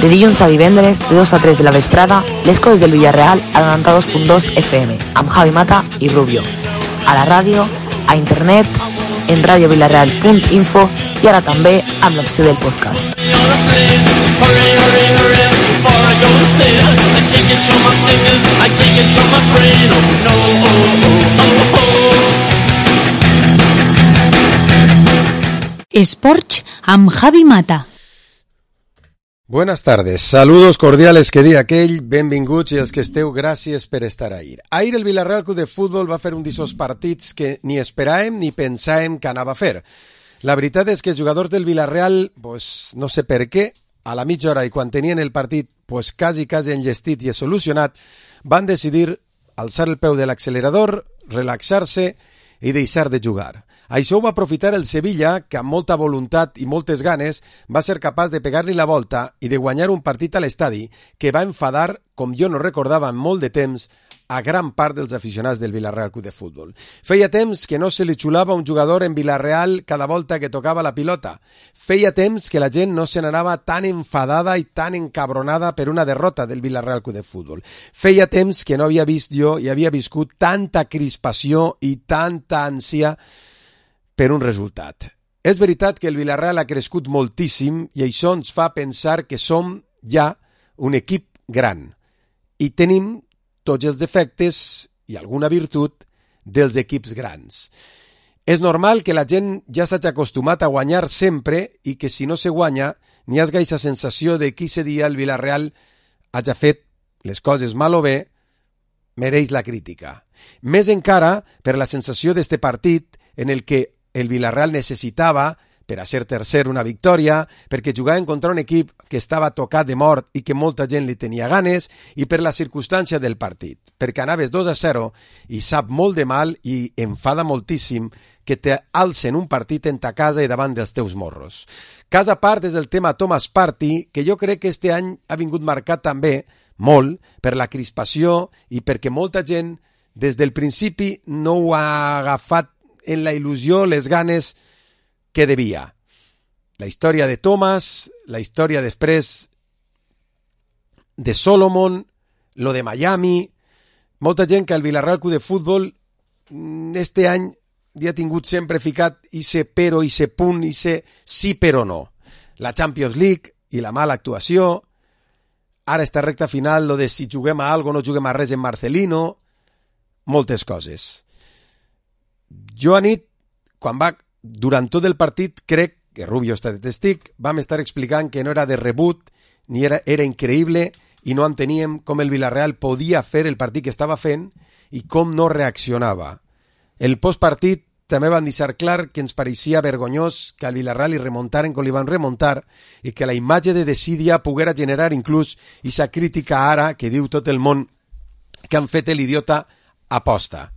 De dilluns a divendres, de 2 a 3 de la vesprada, les coses del Villarreal a 92.2 FM, amb Javi Mata i Rubio. A la ràdio, a internet, en radiovillarreal.info i ara també amb l'opció del podcast. Esports amb Javi Mata. Buenas tardes, saludos cordiales que dia aquell, benvinguts i els que esteu, gràcies per estar ahir. Ahir el Villarreal Club de Futbol va fer un d'aquests partits que ni esperàvem ni pensàvem que anava a fer. La veritat és que els jugadors del Villarreal, pues, no sé per què, a la mitja hora i quan tenien el partit pues, quasi enllestit i solucionat, van decidir alçar el peu de l'accelerador, relaxar-se i deixar de jugar. Això ho va aprofitar el Sevilla, que amb molta voluntat i moltes ganes va ser capaç de pegar-li la volta i de guanyar un partit a l'estadi que va enfadar, com jo no recordava en molt de temps, a gran part dels aficionats del Villarreal Club de Futbol. Feia temps que no se li xulava un jugador en Villarreal cada volta que tocava la pilota. Feia temps que la gent no se n'anava tan enfadada i tan encabronada per una derrota del Villarreal Club de Futbol. Feia temps que no havia vist jo i havia viscut tanta crispació i tanta ànsia per un resultat. És veritat que el Villarreal ha crescut moltíssim i això ens fa pensar que som ja un equip gran i tenim tots els defectes i alguna virtut dels equips grans. És normal que la gent ja s'hagi acostumat a guanyar sempre i que si no se guanya n'hi hagi aquesta sensació de que aquest dia el Villarreal hagi fet les coses mal o bé, mereix la crítica. Més encara per la sensació d'este partit en el que el Villarreal necessitava, per a ser tercer, una victòria, perquè jugaven contra un equip que estava tocat de mort i que molta gent li tenia ganes, i per la circumstància del partit, perquè anaves 2-0 i sap molt de mal i enfada moltíssim que t'alcen un partit en ta casa i davant dels teus morros. Cas a part és el tema Thomas Partey, que jo crec que este any ha vingut marcat també molt per la crispació i perquè molta gent des del principi no ho ha agafat en la il·lusió, les ganes que devia. La història de Thomas, la història després de Solomon, lo de Miami, molta gent que al Villarreal Club de Futbol este any ja ha tingut sempre ficat ise però, ise punt, ise sí però no. La Champions League i la mala actuació, ara esta recta final, lo de si juguem a algo, no juguem a res en Marcelino, moltes coses. Jo a nit, durant tot el partit, crec que Rubio està de testig, vam estar explicant que no era de rebut, ni era increïble, i no enteníem com el Villarreal podia fer el partit que estava fent i com no reaccionava. El postpartit també van deixar clar que ens pareixia vergonyós que al Villarreal li remuntaren com li van remuntar i que la imatge de Decidia poguera generar inclús aquesta crítica ara que diu tot el món que han fet l'idiota aposta.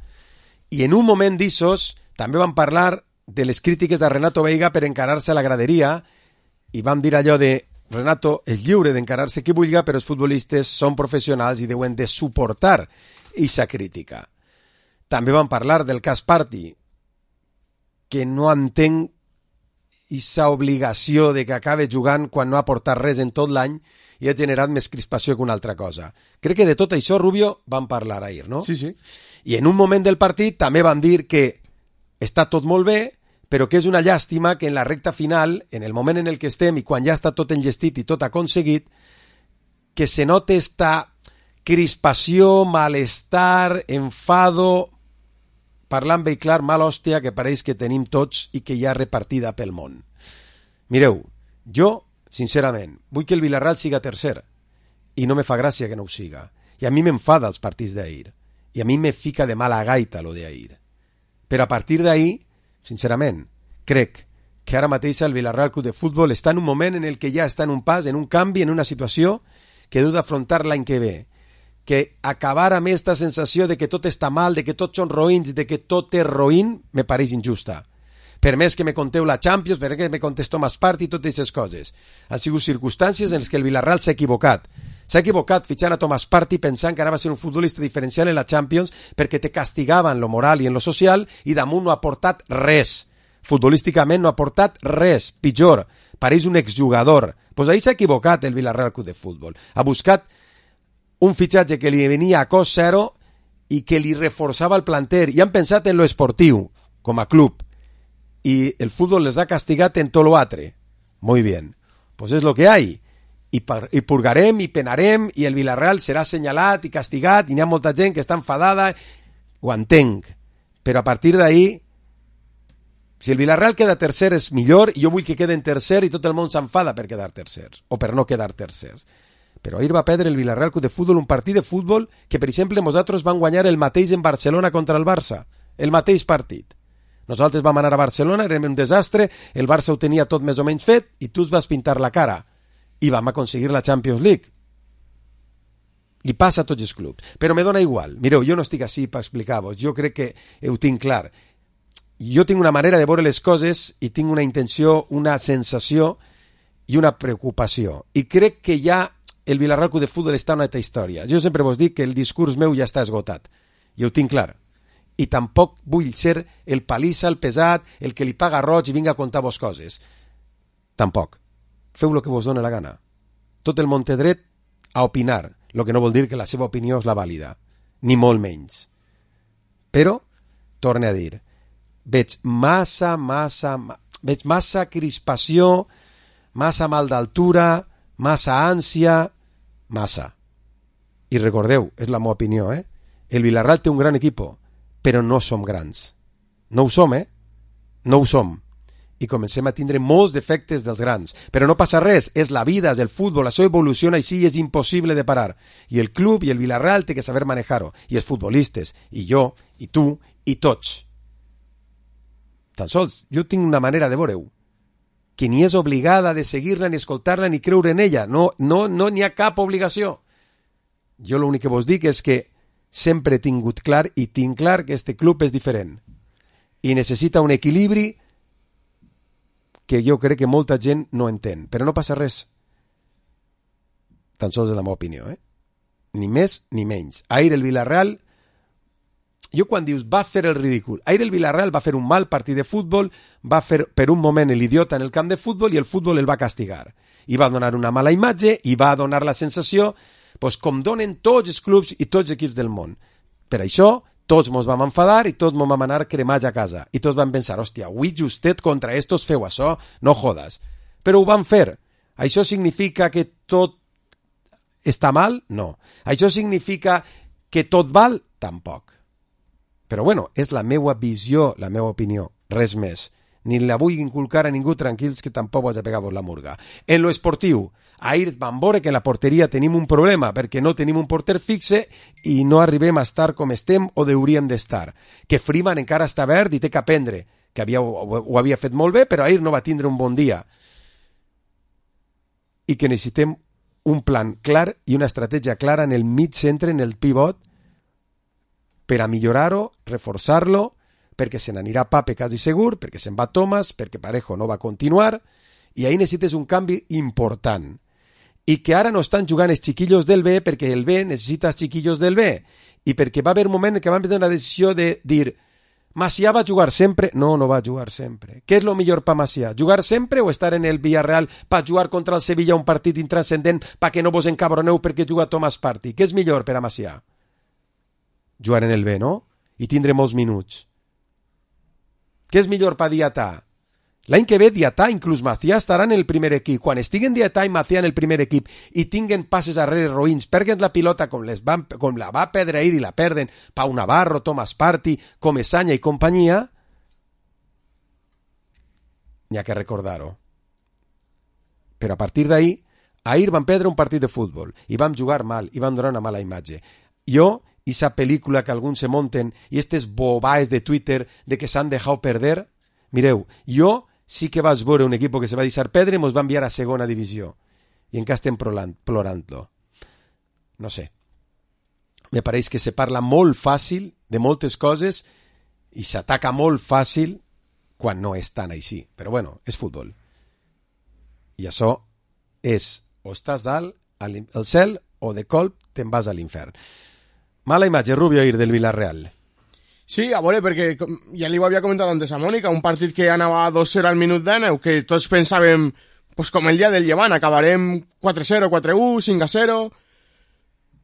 I en un moment d'issos també van parlar de les crítiques de Renato Veiga per encarar-se a la graderia i vam dir allò de Renato és lliure d'encarar-se qui vulgui, però els futbolistes són professionals i deuen de suportar aquesta crítica. També van parlar del cas Partey, que no entenc aquesta obligació de que acabe jugant quan no ha portat res en tot l'any i ha generat més crispació que una altra cosa. Crec que de tot això, Rubio, van parlar ahir, no? Sí, sí. I en un moment del partit també van dir que està tot molt bé, però que és una llàstima que en la recta final, en el moment en el que estem i quan ja està tot enllestit i tot aconseguit, que se note esta crispació, malestar, enfado, parlant bé clar, mal hòstia que pareix que tenim tots i que hi ha repartida pel món. Mireu, jo, sincerament, vull que el Villarreal siga tercer i no me fa gràcia que no ho siga. I a mi m'enfada els partits d'ahir. I a mi me fica de mala gaita lo d'ahir. Però a partir d'ahir, sincerament, crec que ara mateix el Villarreal Club de Futbol està en un moment en el que ja està en un pas, en un canvi, en una situació que deu d'afrontar l'any que ve. Que acabar amb aquesta sensació de que tot està mal, de que tots són roïns, de que tot és roïn, me pareix injusta. Per més que me conteu la Champions, per més que me contés Thomas Partey i totes aquestes coses. Han sigut circumstàncies en les que el Villarreal s'ha equivocat. S'ha equivocat fitxant a Thomas Partey pensant que anava a ser un futbolista diferencial en la Champions perquè te castigava en lo moral i en lo social i damunt no ha aportat res. Futbolísticament no ha portat res, pitjor, pareix un exjugador. Pues ahí s'ha equivocat el Villarreal Club de Futbol. Ha buscat un fitxatge que li venia a cost zero i que li reforçava el planter. I han pensat en lo esportiu, com a club. Y el fútbol les ha castigat en tot lo altre. Muy bien. Pues és lo que hay. I purgarem i penarem i el Villarreal serà assenyalat i castigat i n'hi ha molta gent que està enfadada. Ho entenc. Però a partir d'ahí, si el Villarreal queda tercer és millor i jo vull que quede en tercer i tot el món s'enfada per quedar tercers o per no quedar tercers. Però ahir va perdre el Villarreal Club de Futbol un partit de futbol que, per exemple, nosaltres vam guanyar el mateix en Barcelona contra el Barça. El mateix partit. Nosaltres vam anar a Barcelona, érem un desastre, el Barça ho tenia tot més o menys fet i tu es vas pintar la cara. I vam aconseguir la Champions League. Li passa a tots els clubs. Però me dona igual. Mireu, jo no estic així per explicar-vos. Jo crec que ho tinc clar. Jo tinc una manera de veure les coses i tinc una intenció, una sensació i una preocupació. I crec que ja el Villarreal Club de Futbol està en una altra història. Jo sempre vos dic que el discurs meu ja està esgotat. I ho tinc clar. I tampoc vull ser el palissa, el pesat, el que li paga roig i vinga a contar-vos coses. Tampoc. Feu el que vos dona la gana. Tot el món té dret a opinar, el que no vol dir que la seva opinió és la vàlida, ni molt menys. Però, torne a dir, veig massa crispació, massa mal d'altura, massa ànsia, massa. I recordeu, és la meva opinió, el Villarreal té un gran equip, però no som grans. No ho som, No ho som. I comencem a tindre molts defectes dels grans. Però no passa res, és la vida, és el futbol, això evoluciona així i és impossible de parar. I el club i el Villarreal té que saber manejar-ho. I els futbolistes, i jo, i tu, i tots. Tan sols, jo tinc una manera de veure-ho, que ni és obligada de seguir-la, ni escoltar-la, ni creure en ella. No n'hi ha cap obligació. Jo l'únic que vos dic és que sempre he tingut clar i tinc clar que este club és diferent. I necessita un equilibri que jo crec que molta gent no entén. Però no passa res. Tan sols és la meva opinió, Ni més ni menys. Ahir el Villarreal, jo quan dius va fer el ridícul, ahir el Villarreal va fer un mal partit de futbol, va fer per un moment l'idiota en el camp de futbol i el futbol el va castigar. I va donar una mala imatge i va donar la sensació, com donen tots els clubs i tots els equips del món. Per això, tots mos vam enfadar i tots mos vam anar cremats a casa. I tots vam pensar, hòstia, avui justet contra estos feu això, no jodes. Però ho van fer. Això significa que tot està mal? No. Això significa que tot val? Tampoc. Però bueno, és la meva visió, la meva opinió, res més. Ni la vull inculcar a ningú, tranquils, que tampoc vas a pegar-vos la murga. En lo esportiu, ahir vam veure que en la porteria tenim un problema, perquè no tenim un porter fixe i no arribem a estar com estem o hauríem d'estar. Que Freeman encara està verd i té que aprendre, que ho havia fet molt bé, però ahir no va tindre un bon dia. I que necessitem un plan clar i una estratègia clara en el mig centre, en el pivot, per a millorar-ho, reforçar-lo, perquè se n'anirà Pape quasi segur, perquè se'n va Thomas, perquè Parejo no va continuar, i ahí necessites un canvi important. I que ara no estan jugant els xiquillos del B perquè el B necessita els xiquillos del B, i perquè va haver un moment en què van prendre una decisió de dir Macià va jugar sempre? No, no va jugar sempre. Què és el millor per Macià? Jugar sempre o estar en el Villarreal per jugar contra el Sevilla un partit intranscendent perquè no vos encabroneu perquè juga Thomas Partey? Què és millor per a Macià? Jugar en el B, no? I tindre molts minuts. Què és millor per Diatà? L'any que ve Diatà, inclús Macià, estarà en el primer equip. Quan estiguen Diatà i Macià en el primer equip i tinguen passes arrere roïns, perden la pilota com la va perdre ahir i la perden Pau Navarro, Thomas Partey, Comesaña i companyia, n'hi ha que recordar-ho. Però a partir d'ahir, ahir van perdre un partit de futbol i vam jugar mal i vam donar una mala imatge. Jo, i esa pel·lícula que alguns se monten i estes bobaes de Twitter de que s'han deixat perder, mireu, jo sí que vaig veure un equip que se va deixar perdre i mos va enviar a segona divisió. I encara estem plorant-lo. No sé. Me pareix que se parla molt fàcil de moltes coses i s'ataca molt fàcil quan no és tan així. Però bueno, és futbol. I això és o estàs dalt al cel o de colp te'n vas a l'infern. Mala imatge, Rubio, ahir del Villarreal. Sí, a veure, perquè ja li ho havia comentat antes a Mònica, un partit que anava 2-0 al minut 19, que tots pensàvem, pues com el dia del Llevant, acabarem 4-0, 4-1, 5-0...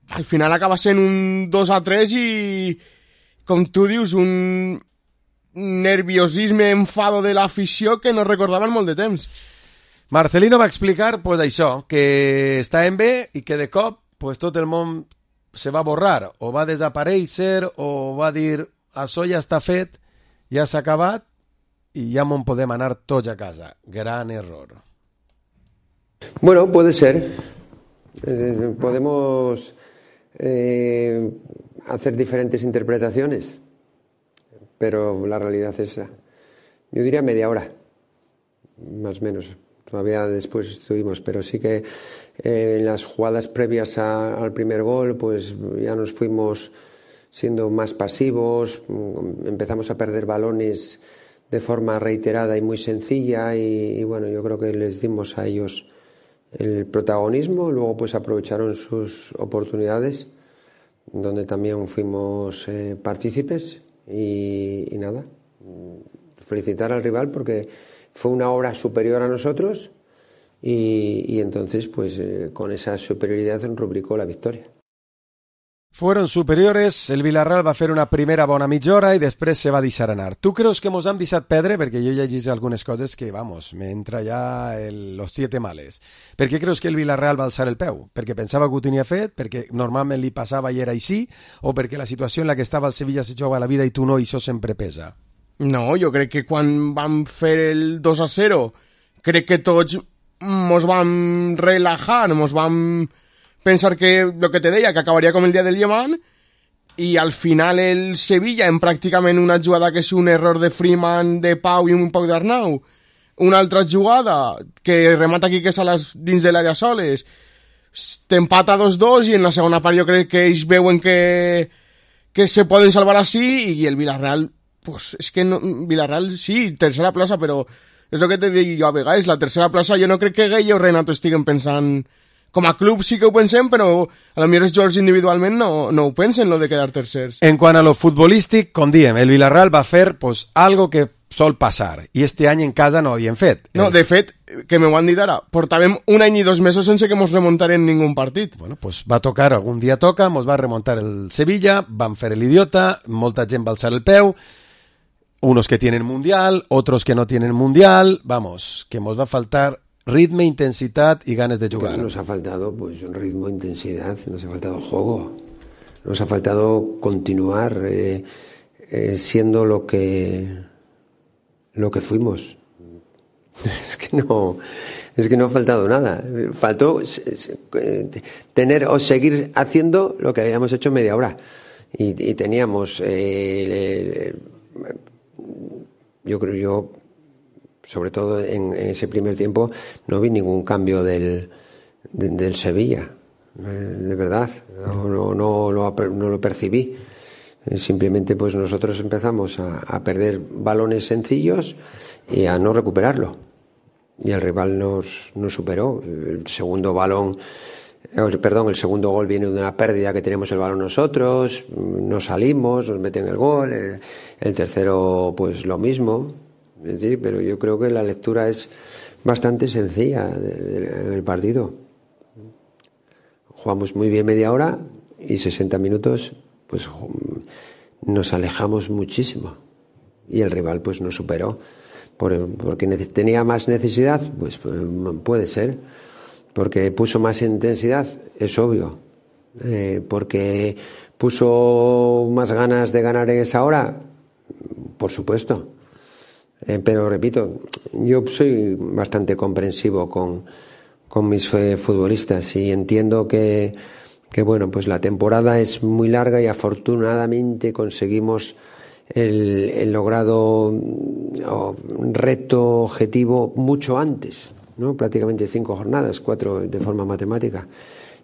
Al final acaba sent un 2-3 i, com tu dius, un nerviosisme, enfado de l'afició que no recordaven molt de temps. Marcelino va explicar, pues això, que estàvem bé i que de cop pues, tot el món se va borrar, o va desaparèixer, o va dir, això ja està fet, ja s'ha acabat, i ja me'n podem anar tots a casa. Gran error. Bueno, puede ser. Podemos hacer diferentes interpretaciones, pero la realidad es esa. Yo diría media hora, más o menos. Todavía después estuvimos, pero sí que en las jugadas previas al primer gol, pues ya nos fuimos siendo más pasivos, empezamos a perder balones de forma reiterada y muy sencilla y bueno, yo creo que les dimos a ellos el protagonismo, luego pues aprovecharon sus oportunidades, donde también fuimos partícipes y nada, felicitar al rival porque fue una hora superior a nosotros y entonces pues con esa superioridad rubricó la victoria. Fueron superiores, el Villarreal va fer una primera bona mitja hora i després se va deixar anar. Tu creus que mos hem deixat perdre? Perquè jo he llegit algunes coses que, vamos, me entra ja los 7 males. Per què creus que el Villarreal va alçar el peu? Perquè pensava que ho tenia fet? Perquè normalment li passava i era així? O perquè la situació en la que estava el Sevilla se juga la vida i tu no, i això sempre pesa? No, jo crec que quan vam fer el 2-0, crec que tots mos vam relajar, mos vam pensar que, lo que te deia, que acabaria com el dia del Llevant, i al final el Sevilla, en pràcticament una jugada que és un error de Freeman, de Pau i un poc d'Arnau, una altra jugada que remata Quique Salas dins de l'àrea soles, t'empata 2-2 i en la segona part jo crec que ells veuen que se poden salvar així i el Villarreal, pues és que no, Villarreal sí, tercera plaça, però és el que te dic jo a vegades, la tercera plaça jo no crec que Gueye o Renato estiguen pensant. Com a club sí que ho pensem, però a lo millor els jugadors individualment no ho pensen, lo de quedar tercers. En quant a lo futbolístic, com diem, el Villarreal va fer pues, algo que sol passar, i este any en casa no ho havien fet. No, de fet, que m'ho han dit ara, portàvem un any i 2 mesos sense que mos remuntaren ningú partit. Bueno, pues va tocar, algun dia toca, mos va remuntar el Sevilla, van fer l'idiota, molta gent va alçar el peu, unos que tienen mundial, otros que no tienen mundial, vamos, que mos va faltar ritmo, intensidad y ganas de jugar. Nos ha faltado pues un ritmo, intensidad, nos ha faltado juego, nos ha faltado continuar siendo lo que fuimos. Es que no ha faltado nada. Faltó tener o seguir haciendo lo que habíamos hecho media hora y teníamos yo sobre todo en ese primer tiempo no vi ningún cambio del Sevilla, de verdad, no lo percibí. Simplemente pues nosotros empezamos a perder balones sencillos y a no recuperarlo. Y el rival nos superó. El segundo gol viene de una pérdida que tenemos el balón nosotros, no salimos, nos meten el gol, el tercero pues lo mismo. Es decir, pero yo creo que la lectura es bastante sencilla en el partido. Jugamos muy bien media hora y 60 minutos pues nos alejamos muchísimo y el rival pues nos superó porque tenía más necesidad, pues puede ser, porque puso más intensidad, es obvio, porque puso más ganas de ganar en esa hora, por supuesto. Pero repito, yo soy bastante comprensivo con mis futbolistas y entiendo que bueno, pues la temporada es muy larga y afortunadamente conseguimos el logrado reto objetivo mucho antes, ¿no? Prácticamente 5 jornadas, 4 de forma matemática.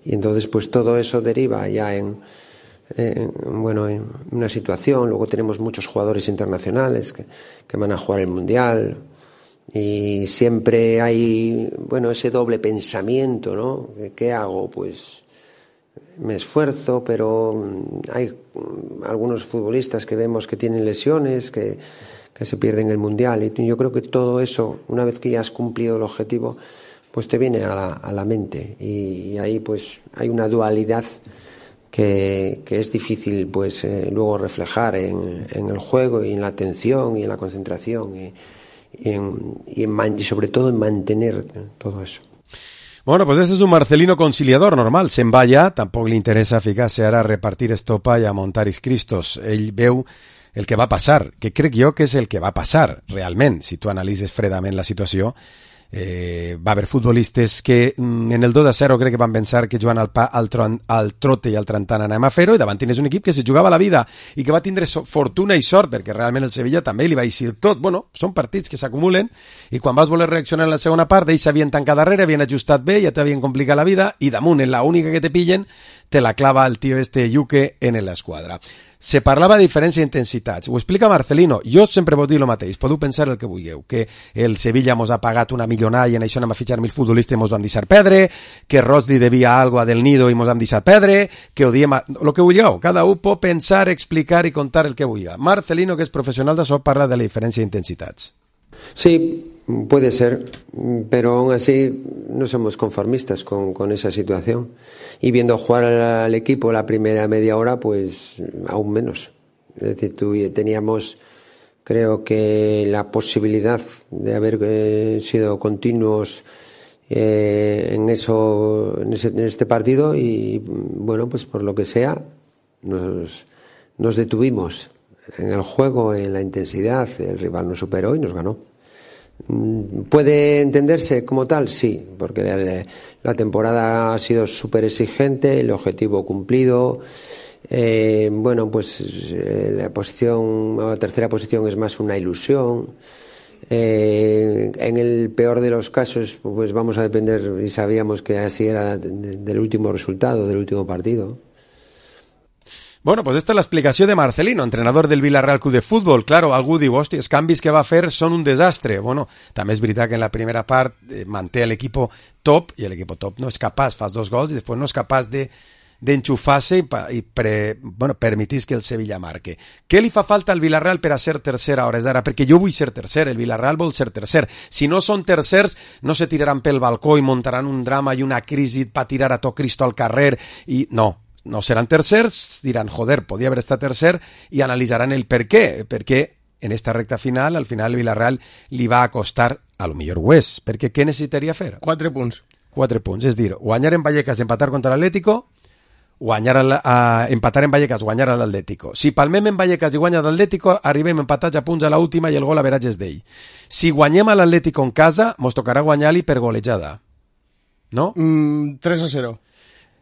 Y entonces pues todo eso deriva ya en una situación. Luego tenemos muchos jugadores internacionales que van a jugar el Mundial y siempre hay ese doble pensamiento, ¿no? ¿Qué hago? Pues me esfuerzo, pero hay algunos futbolistas que vemos que tienen lesiones, que se pierden el Mundial, y yo creo que todo eso, una vez que ya has cumplido el objetivo, pues te viene a la mente, y ahí pues hay una dualidad que es difícil pues luego reflejar en el juego y en la atención y en la concentración y sobre todo en mantener todo eso. Bueno, pues este és un Marcelino conciliador normal. Se'n va ja, tampoc li interessa ficar-se ara a repartir estopa i a montar Cristos. Ell veu el que va passar, que crec jo que és el que va passar, realment. Si tu analitzes fredament la situació, va haver futbolistes que en el 2-0 crec que van pensar que jugant al trote i al Trantant anem a fer-ho, i davant tens un equip que se jugava la vida i que va tindre fortuna i sort, perquè realment el Sevilla també li va eixir tot. Bueno, són partits que s'acumulen i quan vas voler reaccionar en la segona part, ells s'havien tancat darrere, havien ajustat bé, ja t'havien complicat la vida, i damunt, en la única que te pillen, te la clava el tio Yuke en l'esquadra. Se parlava de diferència d'intensitats. Ho explica Marcelino. Jo sempre vos dir el mateix. Podeu pensar el que vulgueu. Que el Sevilla mos ha pagat una milionada i en això anem a fitxar 1000 futbolistes i mos van deixar perdre, que Rosli devia algo a Del Nido i mos han deixat perdre, que odiem el que vulgueu. Cada un pot pensar, explicar i contar el que vulgui. Marcelino, que és professional d'això, parla de la diferència d'intensitats. Sí, puede ser, pero aún así no somos conformistas con esa situación. Y viendo jugar al equipo la primera media hora, pues aún menos. Es decir, teníamos, creo que la posibilidad de haber sido continuos en este partido, y bueno, pues por lo que sea, nos detuvimos en el juego, en la intensidad. El rival nos superó y nos ganó. ¿Puede entenderse como tal? Sí, porque la temporada ha sido súper exigente, el objetivo cumplido. Bueno, pues la tercera posición es más una ilusión. En el peor de los casos, pues vamos a depender, y sabíamos que así era, del último resultado, del último partido. Bueno, pues esta és l'explicació de Marcelino, entrenador del Villarreal Club de Futbol. Claro, algú diu, hòstia, els canvis que va fer són un desastre. Bueno, també és veritat que en la primera part manté l'equip top, i l'equip top no és capaç, fas 2 gols i després no és capaç d'enxufar-se i permetís que el Sevilla marque. Què li fa falta al Villarreal per a ser tercer a hores d'ara? Perquè jo vull ser tercer, el Villarreal vol ser tercer. Si no són tercers, no se tiraran pel balcó i muntaran un drama i una crisi per tirar a tot Cristo al carrer i no seran tercers, diran, joder, podria haver estat tercer, i analitzaran el per què, perquè en esta recta final, al final el Villarreal li va costar, a lo millor ho és, perquè què necessitaria fer? 4 punts. 4 punts, és dir, guanyar en Vallecas, empatar contra l'Atlético, empatar en Vallecas, guanyar a l'Atlético. Si palmem en Vallecas i guanya l'Atlético, arribem empatats a punts a l'última i el gol a veratge és d'ell. Si guanyem a l'Atlético en casa, mos tocarà guanyar-li per golejada. No? 3-0.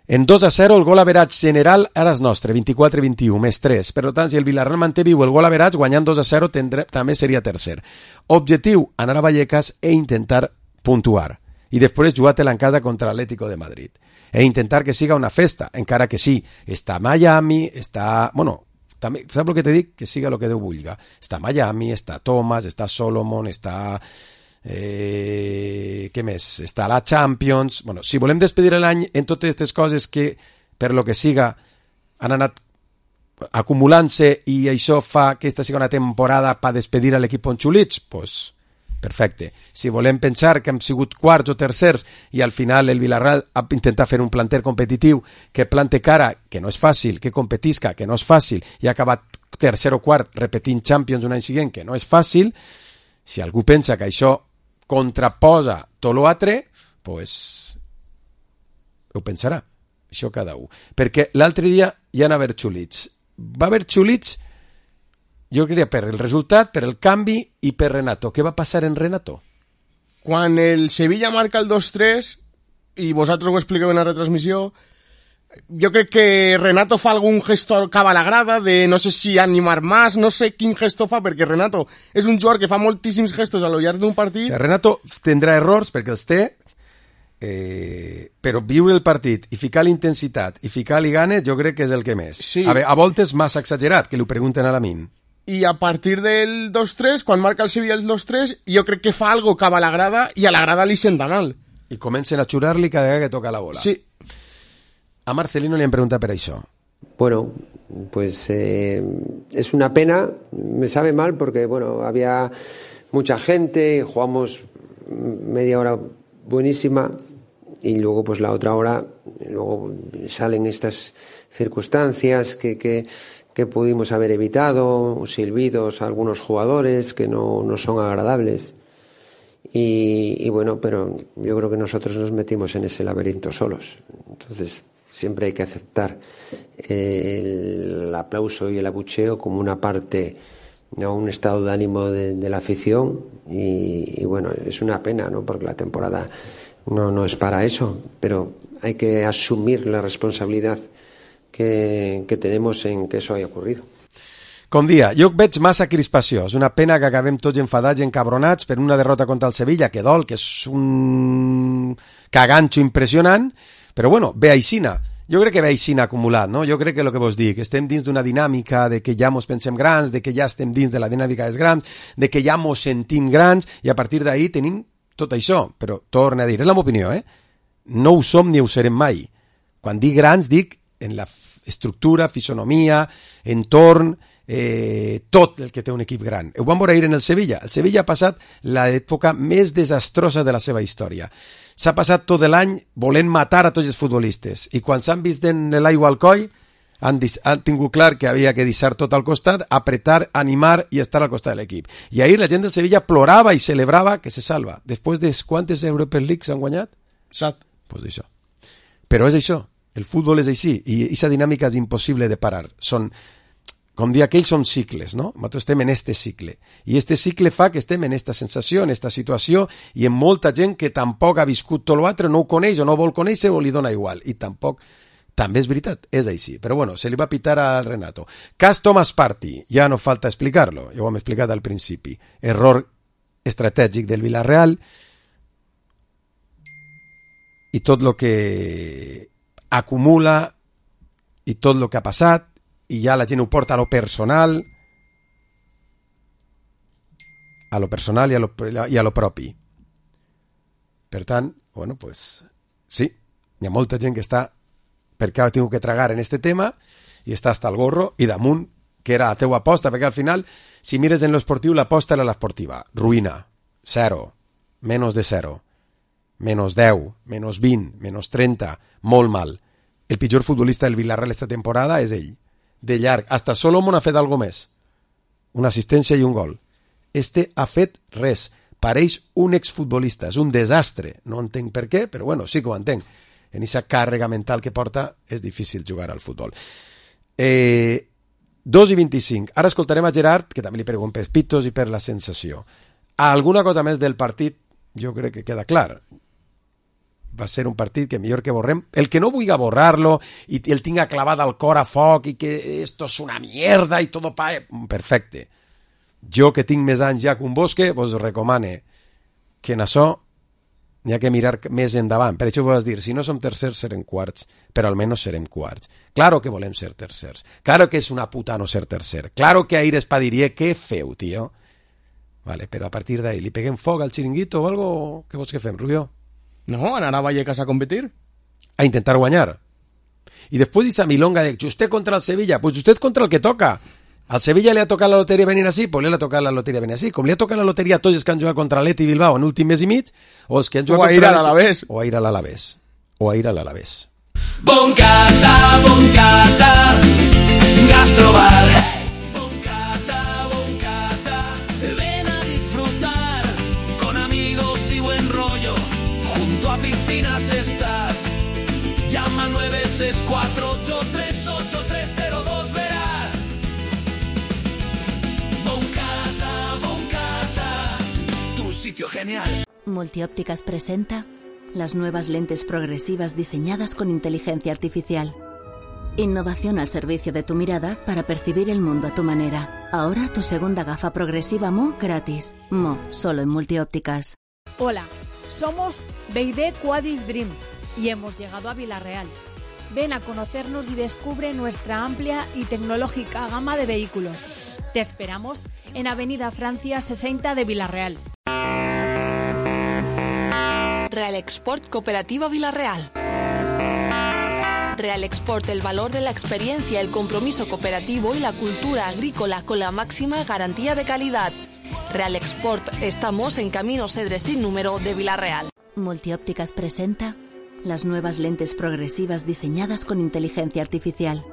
En 2-0 el gol average general ara és nostre, 24-21, més 3. Per tant, si el Villarreal manté viu el gol average, guanyant 2-0 també seria tercer. Objectiu, anar a Vallecas e intentar puntuar. I després jugar-te-la en casa contra l'Atlético de Madrid. E intentar que siga una festa, encara que sí. Està Miami, està... Bueno, també, saps el que te dic? Que siga el que Déu vulga. Està Miami, està Thomas, està Solomon, està... què més? Està la Champions. Bueno, si volem despedir l'any en totes aquestes coses que per lo que siga han anat acumulant-se i això fa que aquesta sigui una temporada per despedir a l'equip Ponxulits, pues perfecte. Si volem pensar que hem sigut quarts o tercers i al final el Villarreal ha intentat fer un planter competitiu que plante cara, que no és fàcil, que competisca, que no és fàcil, i ha acabat tercer o quart repetint Champions un any següent, que no és fàcil, si algú pensa que això contraposa tot l'altre, pues ho pensarà, això cada un. Perquè l'altre dia hi ha haver xulits. Va haver xulits, jo crec, per el resultat, per el canvi i per Renato. Què va passar en Renato? Quan el Sevilla marca el 2-3, i vosaltres ho expliqueu en la retransmissió, jo crec que Renato fa algun gesto cap a la grada de no sé si animar más, no sé quin gesto fa, perquè Renato és un jugador que fa moltíssims gestos a lo llarg d'un partit. O sigui, Renato tindrà errors perquè els té, però viure el partit i ficar l'intensitat i ficar-li ganes jo crec que és el que més. Sí. A voltes massa exagerat, que li pregunten a la Min. I a partir del 2-3, quan marca el Sevilla el 2-3, jo crec que fa algo cap a la grada i a la grada li senta mal. I comencen a xurar-li cada vegada que toca la bola. Sí. A Marcelino li han preguntat per això. Bueno, pues es una pena, me sabe mal porque bueno, había mucha gente, jugamos media hora buenísima y luego pues la otra hora, luego salen estas circunstancias que pudimos haber evitado, silbidos a algunos jugadores que no son agradables. Y bueno, pero yo creo que nosotros nos metimos en ese laberinto solos. Entonces siempre hay que aceptar el aplauso y el abucheo como una parte, ¿no? Un estado de ánimo de la afición y bueno, es una pena, ¿no? Porque la temporada no es para eso, pero hay que asumir la responsabilidad que tenemos en que eso haya ocurrido. Com dia, jo veig massa crispació. És una pena que acabem tots enfadats i encabronats per una derrota contra el Sevilla, que dol, que és un caganxo impressionant, però bueno, ve aixina. Jo crec que ve aixina acumulat, no? Jo crec que el que vos dic, estem dins d'una dinàmica de que ja mos pensem grans, de que ja estem dins de la dinàmica dels grans, de que ja mos sentim grans, i a partir d'ahir tenim tot això. Però torna a dir, és la meva opinió, no ho som ni ho serem mai. Quan dic grans, dic en la estructura, fisonomia, entorn, tot el que té un equip gran. Ho vam veure ahir en el Sevilla. El Sevilla ha passat l'època més desastrosa de la seva història. S'ha passat tot l'any volent matar a tots els futbolistes i quan s'han vist en l'aigua al coll han tingut clar que havia que deixar tot al costat, apretar, animar i estar al costat de l'equip. I ahir la gent del Sevilla plorava i celebrava que se salva. Després de quantes Europa League s'han guanyat? 7. Pues això. Però és això. El futbol és així i aquesta dinàmica és impossible de parar. Com dir aquells són cicles, no? Nosaltres estem en este cicle. I este cicle fa que estem en esta sensació, en esta situació, i en molta gent que tampoc ha viscut tot l'altre, no ho coneix o no vol conèixer o li dona igual. I tampoc, també és veritat, és així. Però bueno, se li va pitar al Renato. Cas Thomas Partey, ja no falta explicar-lo, ja ho hem explicat al principi. Error estratègic del Villarreal i tot el que acumula i tot el que ha passat, i ja la gent ho porta a lo personal i a lo propi. Per tant, bueno, pues sí, hi ha molta gent que està perquè ha tingut que tragar en este tema i està hasta el gorro i damunt, que era la teua aposta, perquè al final, si mires en l'esportiu, l'aposta era l'esportiva. Ruïna, 0, menys de 0, menys 10, menys 20, menys 30, molt mal. El pitjor futbolista del Villarreal esta temporada és ell. De llarg, hasta Solomon ha fet algo més, una assistència i un gol. Este ha fet res, pareix un exfutbolista, és un desastre, no entenc per què, però bueno, sí que ho entenc. En aquesta càrrega mental que porta és difícil jugar al futbol. 2:25, ara escoltarem a Gerard, que també li pregunto per pitos i per la sensació. Alguna cosa més del partit, jo crec que queda clar. Va ser un partit que millor que borrem. El que no vulgui borrar-lo i el tinga clavat al cor a foc i que esto és una mierda i tot pa... Perfecte. Jo que tinc més anys ja que un bosque, vos recomane que en això n'hi ha que mirar més endavant. Per això vos dir, si no som tercers serem quarts, però almenys serem quarts. Claro que volem ser tercers. Claro que és una puta no ser tercer. Claro que ahir espadiria, què feu, tio? Vale, però a partir d'ahir li peguem foc al xiringuito o algo? Què vols que fem, Rubio? No, anar a Vallecas a competir. A intentar guanyar. Y después esa milonga de usted contra el Sevilla, pues usted contra el que toca. Al Sevilla le ha tocado la lotería venir así, pues le ha tocado la lotería venir así. Com li ha tocat la loteria a tots els que han jugat contra l'Atleti Bilbao en últim mes i mig, o els que han jugat contra l'Alavés. O a ir a l'Alavés. O a ir a l'Alavés. Boncata, Gastrobar. Boncata, ven a disfrutar con amigos y buen rollo. Junto a piscinas estás. Llama 964838302, verás. Boncata, tu sitio genial. Multiópticas presenta las nuevas lentes progresivas diseñadas con inteligencia artificial. Innovación al servicio de tu mirada para percibir el mundo a tu manera. Ahora tu segunda gafa progresiva Mo gratis. Mo, solo en Multiópticas. Hola, somos BYD Quadis Dream y hemos llegado a Villarreal. Ven a conocernos y descubre nuestra amplia y tecnológica gama de vehículos. Te esperamos en Avenida Francia 60 de Villarreal. Real Export Cooperativa Villarreal. Real Export, el valor de la experiencia, el compromiso cooperativo y la cultura agrícola con la máxima garantía de calidad. Real Export, estamos en Camino Cedres sin número de Vila-real. Multiópticas presenta las nuevas lentes progresivas diseñadas con inteligencia artificial.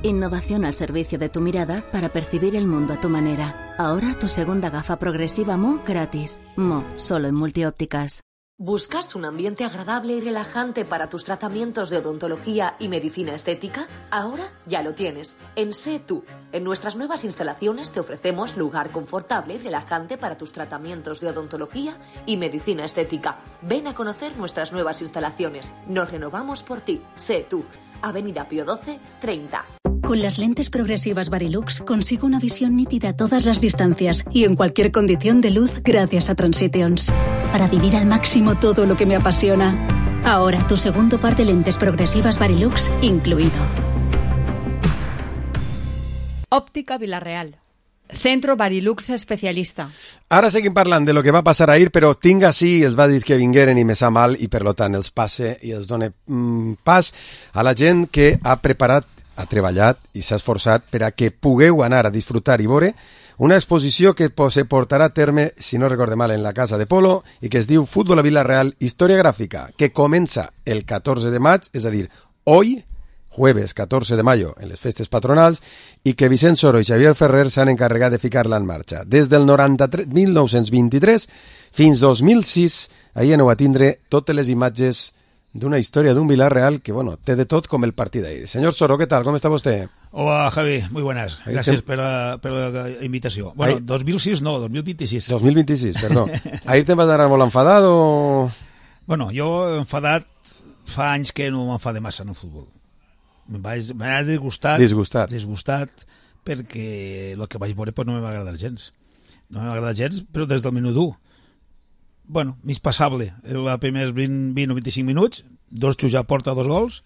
Innovación al servicio de tu mirada para percibir el mundo a tu manera. Ahora tu segunda gafa progresiva Mo gratis. Mo, solo en Multiópticas. ¿Buscas un ambiente agradable y relajante para tus tratamientos de odontología y medicina estética? Ahora ya lo tienes. En Sé Tú. En nuestras nuevas instalaciones te ofrecemos lugar confortable y relajante para tus tratamientos de odontología y medicina estética. Ven a conocer nuestras nuevas instalaciones. Nos renovamos por ti. Sé Tú. Avenida Pío XII, 30. Con las lentes progresivas Varilux consigo una visión nítida a todas las distancias y en cualquier condición de luz gracias a Transitions. Para vivir al máximo todo lo que me apasiona. Ahora tu segundo par de lentes progresivas Varilux incluido. Òptica Vila-real. Centro Varilux especialista. Ara seguim parlant de lo que va passar ahir, però tinc així, els va dir que vingueren i me sap mal, i per tant els passe i els done pas a la gent que ha preparat, ha treballat i s'ha esforçat per a que pugueu anar a disfrutar i veure una exposició que se portarà a terme, si no recorde mal, en la Casa de Polo i que es diu Fútbol a Vila-real, Història Gràfica, que comença el 14 de maig, és a dir, hoy, jueves 14 de mayo, en les festes patronals, i que Vicent Soro i Xavier Ferrer s'han encarregat de ficar-la en marxa. Des del 1923 fins 2006, ahí aneu a tindre totes les imatges d'una història d'un Vila-real que, bueno, té de tot com el partit d'ahir. Señor Soro, ¿qué tal? ¿Cómo está usted? Hola, Javi, muy buenas. Gracias por la invitación. Bueno, 2006 no, 2026. 2026, perdó. Ahir te'n vas anar molt enfadat o...? Bueno, jo enfadat fa anys que no m'enfade massa en el futbol. M'ha disgustat perquè el que vaig veure pues, no m'ha agradat gens. No m'ha agradat gens, però des del minut 1. Bueno, mig passable. Els primers 20 o 25 minuts, dos xuts a porta, 2 gols,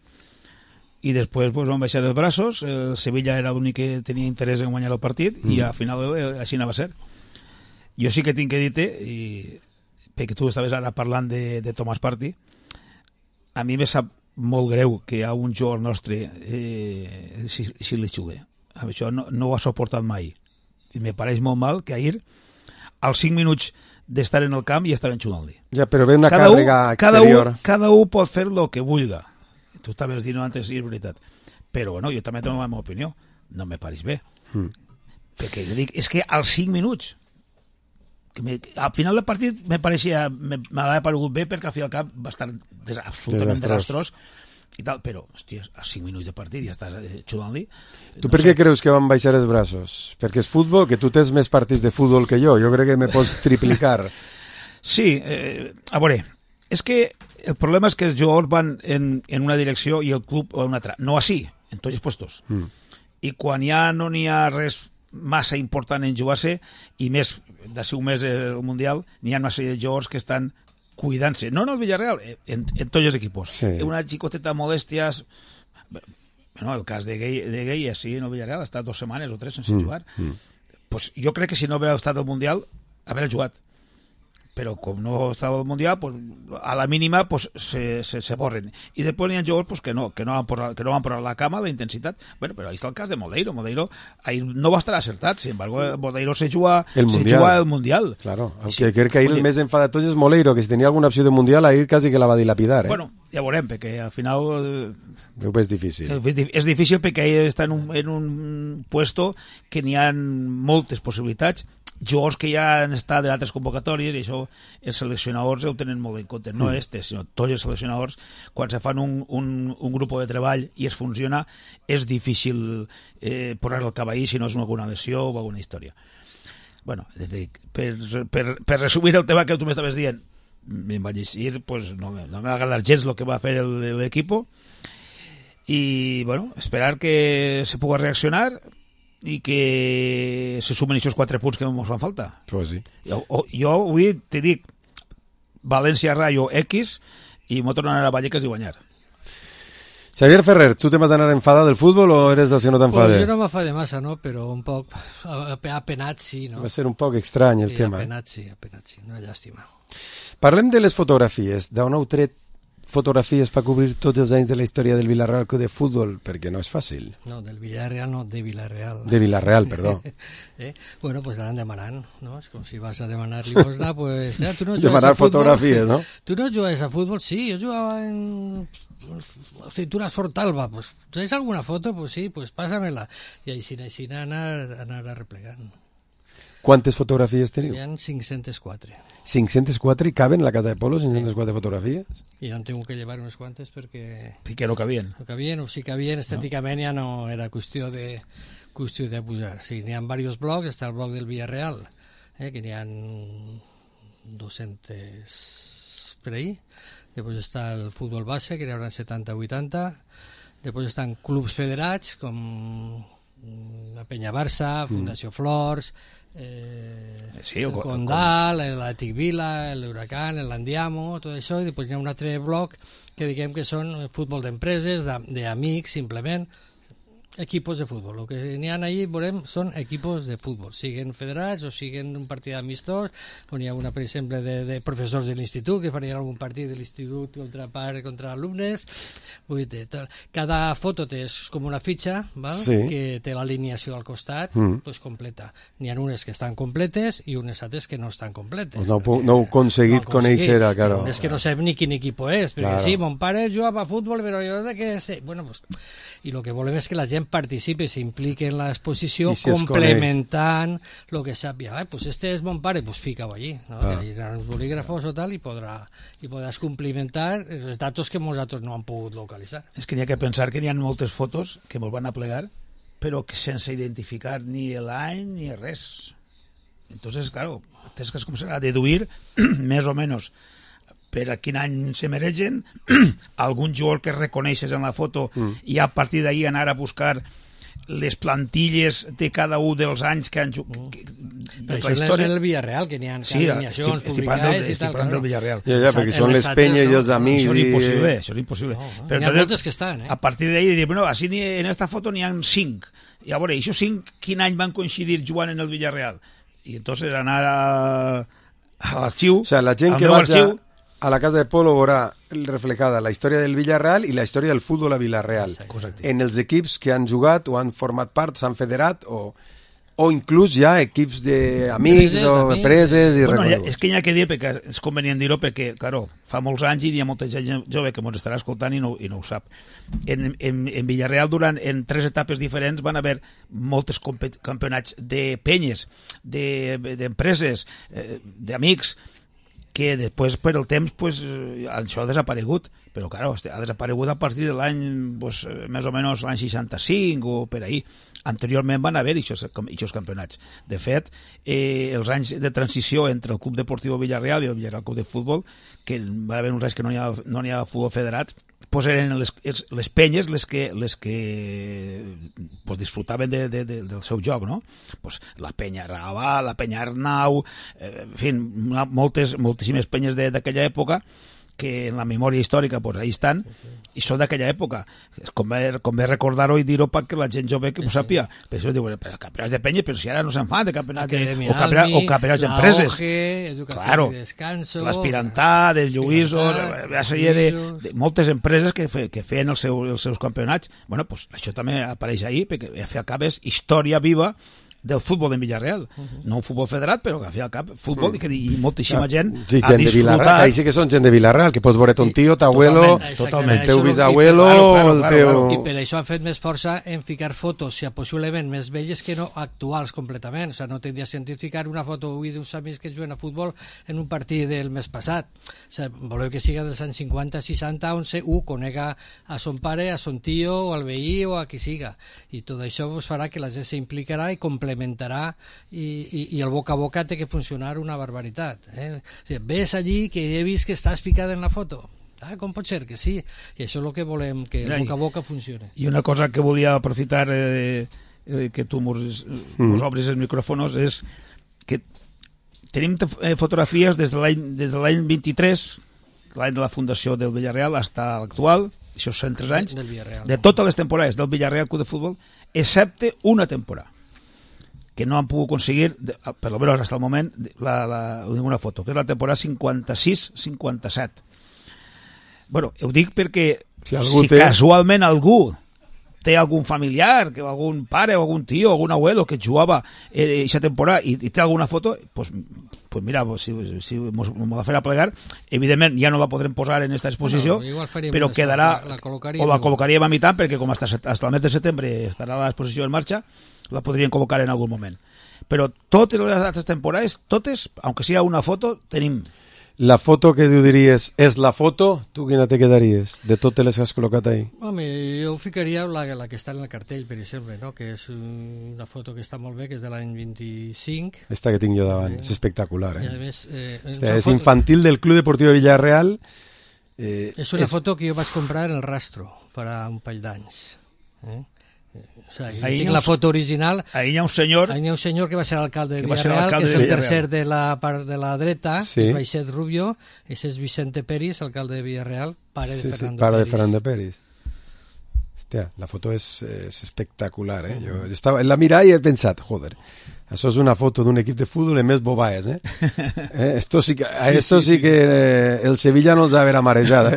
i després pues, van baixar els braços. El Sevilla era l'únic que tenia interès en guanyar el partit, i al final així anava a ser. Jo sí que tinc que dir-te, perquè tu estaves ara parlant de Tomàs Partey, a mi me sap molt greu que a un jugador nostre si li xugue. Això no ho ha suportat mai. I me pareix molt mal que ahir, als 5 minuts d'estar en el camp, ja estaven xugant-li. Ja, però ve una càrrega exterior. Cada un pot fer el que vulga. Tu estaves dient antes, sí, és veritat. Però, bueno, jo també tengo la meva opinió. No me pareix bé. Perquè jo dic, és que als 5 minuts, al final del partit m'havia paregut bé perquè al final del camp va estar absolutament desastrós i tal, però, hòstia, a 5 minuts de partit ja estàs xugant-li. Tu per què creus que van baixar els braços? Perquè és futbol, que tu tens més partits de futbol que jo crec que me pots triplicar. Sí, a veure, és que el problema és que els jugadors van en una direcció i el club en una altra, no així, en tots els puestos. I quan ja no n'hi ha res massa important en jugar-se, i més d'ací un mes el Mundial, n'hi ha una sèrie de jugadors que estan cuidant-se, no en el Villarreal, en tots els equipos. Sí. Una xicoteta modèsties, bueno, el cas de Gay així en el Villarreal, ha estat 2 setmanes o 3 sense jugar. Pues jo crec que si no hagués estat al Mundial, haver jugat. Però com no estava al Mundial, pues, a la mínima pues, se borren. I després hi ha jugadors pues, que no van posar la cama, la intensitat. Bueno, però ahí està el cas de Moleiro. Moleiro ahí no va estar acertat, sin embargo, Moleiro se juga el Mundial. Claro, aunque crec que ahir el més enfadat tot és Moleiro, que si tenia alguna opció de Mundial, ahir quasi que la va dilapidar. Bueno, ja veurem, perquè al final... És difícil. És difícil perquè ell està en un puesto que n'hi ha moltes possibilitats, jugadors que ja han estat d'altres convocatòries, i això els seleccionadors ho tenen molt en compte, no sinó tots els seleccionadors, quan se fan un grup de treball i es funciona, és difícil posar el cavall si no és alguna lesió o alguna història. Bueno, per resumir el tema que tu m'estaves dient, me'n vaig dir, pues no m'ha agradat gens el que va fer l'equip, i bueno, esperar que se pugui reaccionar i que se sumen aquests 4 punts que ens fan falta. Pues sí. Jo avui te dic València Rayo X i m'ho tornarà a Vallecas i guanyar. Xavier Ferrer, ¿tú te vas a anar enfadado del fútbol o eres dels que no t'enfades? Pues jo no m'enfade massa, no? Però un poc apenat sí, no? Va ser un poc estrany el tema. Apenat sí, una llàstima. Parlem de les fotografies, d'on heu tret fotografies per cobrir tots els anys de la història del Villarreal Club de Futbol? Perquè no és fàcil. No, del Villarreal no, de Villarreal. De Villarreal, perdó. Bueno, pues anant demanant, no? És com si vas a demanar limosna, pues... tu no demanar fotografies, no? Tu no jugues a futbol? Sí, jo jugava en... Cinturas Fortalba, pues, ¿tienes alguna foto? Pues sí, pues pásamela. I així anar arreplegant. Quantes fotografies teniu? Hi ha 504. 504 i caben a la casa de Polo 504 fotografies? I em tengo que llevar unes quantes perquè... Que no cabien. No cabien, o si cabien, estèticament ja no era qüestió de pujar. Sí, n'hi ha diversos blocs, està el bloc del Villarreal, que n'hi ha 200 per ahí. Després està el futbol base, que n'hi haurà 70-80. Després estan clubs federats, com la Penya Barça, Fundació Flors, el Condal, l'Atlètic Vila, l'Huracán, l'Andiamo, tot això. I després hi ha un altre bloc que diguem que són futbol d'empreses, d'amics, simplement, equipos de futbol. El que n'hi ha allí, veurem, són equipos de futbol, siguen federats o siguen un partit amistós, on hi ha una, per exemple, de professors de l'institut que farien algun partit de l'institut contra alumnes. Vull dir, cada foto és com una fitxa, val? Sí. Que té l'alineació al costat, pues completa. N'hi ha unes que estan completes i unes altres que no estan completes. No heu aconseguit conèixer, claro. És que no sabem ni quin equip és, perquè claro. Sí, mon pare jugava a futbol, però jo de què sé. Bueno, pues, i el que volem és que la gent participi, s'impliqui en l'exposició, complementant el que sàpiga. Pues este és mon pare, pues fica-ho allí, no? Hi ha uns bolígrafos o tal i podràs complementar els datos que nosaltres no han pogut localitzar. És que n'hi ha que pensar que n'hi ha moltes fotos que mos van a plegar, però que sense identificar ni l'any ni res. Entonces, claro, tens que començar a deduir més o menys per a quin any se mereixen, algun jugador que reconeixes en la foto i a partir d'ahí anar a buscar les plantilles de cada un dels anys que han jugat. Però això és el Villarreal, que n'hi ha alineacions publicades i tal. Estic parlant del Villarreal. Ja, perquè són les penyes i els amics. Això és impossible. N'hi ha moltes que estan. A partir d'ahí, bueno, així en esta foto n'hi ha 5. I a veure, aquests 5, quin any van coincidir jugant en el Villarreal? I entonces anar a l'arxiu, o sea, la gent que vaig a la casa de Polo veurà reflejada la història del Villarreal i la història del futbol a Villarreal. Correcte. En els equips que han jugat o han format part, s'han federat o inclús ja equips d'amics o empreses i reconeguts. És que hi ha que dir, perquè és convenient dir-ho, perquè, claro, fa molts anys i hi ha molta gent jove que ens estarà escoltant i no ho sap. En Villarreal, en 3 etapes diferents, van haver molts campionats de penyes, d'empreses, d'amics, que després per el temps això ha desaparegut, però claro, ha desaparegut a partir de l'any més o menys l'any 65 o per ahí. Anteriorment van haver aquests campionats. De fet, els anys de transició entre el Club Deportiu Villarreal i el Villarreal Club de Futbol, que van haver uns anys que no n'hi ha futbol federat, eren les penyes les que disfrutaven del seu joc, no? La penya Raval, la penya Arnau, en fi, moltíssimes penyes d'aquella època que en la memòria històrica ahí estan i són d'aquella època. Convé recordar-ho i dir-ho perquè la gent jove que ho sàpiga. Per això diuen, però campionats de penya, però si ara no se'n fan de campionats o campionats d'empreses. Claro, l'Aspirantà, del Lluïsos, una sèrie de moltes empreses que feien els seus campionats. Bueno, doncs això també apareix ahí, perquè al fi al cap és història viva del futbol en Villarreal, no un futbol federat, però que al fi al cap futbol i moltíssima gent ha disfrutat. Ahí sí que són gent de Villarreal, que pots veure ton tio, t'abuelo, el teu bisabuelo, el teu... I per això han fet més força en ficar fotos, si possiblement més velles que no actuals completament. O sigui, no tindria sentit ficar una foto avui d'uns amics que juguen a futbol en un partit del mes passat. O sigui, voleu que siga dels anys 50, 60, on un conega a son pare, a son tio, o al veí, o a qui siga. I tot això farà que la gent s'implicarà i complementarà i el boca a boca té que funcionar una barbaritat. O sigui, ves allí que he vist que estàs ficada en la foto. Com pot ser? Que sí. I això és el que volem, que el boca a boca funcione. I una cosa que volia aprofitar que tu mos obris els micròfons és que tenim fotografies des de l'any 23, l'any de la fundació del Villarreal, fins a l'actual, això són 3 anys, de totes les temporades del Villarreal Club de Futbol, excepte una temporada que no han pogut aconseguir, per lo menos hasta el moment, ninguna foto, que és la temporada 56-57. Bueno, ho dic perquè si casualment algú té algun familiar, algun pare o algun tio o algun abuelo que jugava aquesta temporada i té alguna foto, pues mira, si m'ho de fer a plegar, evidentment ja no la podrem posar en aquesta exposició, però quedarà, o la col·locaríem a mitad, perquè com hasta el mes de setembre estarà l'exposició en marxa, la podríem col·locar en algun moment. Però totes les altres temporades, totes, aunque sigui una foto, tenim. La foto que tu diries és la foto, tu quina te quedaries de totes les que has col·locat ahí? Home, jo ficaria la que està en el cartell, per exemple, no? Que és una foto que està molt bé, que és de l'any 25. Esta que tinc jo davant, és espectacular. I a més, és infantil del Club Deportivo de Villarreal. És una foto que jo vaig comprar en el Rastro farà un parell d'anys. O sea, tinc la foto original. Ahí hi ha un senyor que va ser alcalde de Villarreal, que és el tercer de la part de la dreta, que és Baixet Rubio. Ese és Vicente Peris, alcalde de Villarreal, pare de Fernando Peris. Hòstia, la foto és espectacular, Jo estava en la mirada i he pensat, joder, això és una foto d'un equip de futbol en més bobaes, Esto sí que el Sevilla no els ha verà marejada.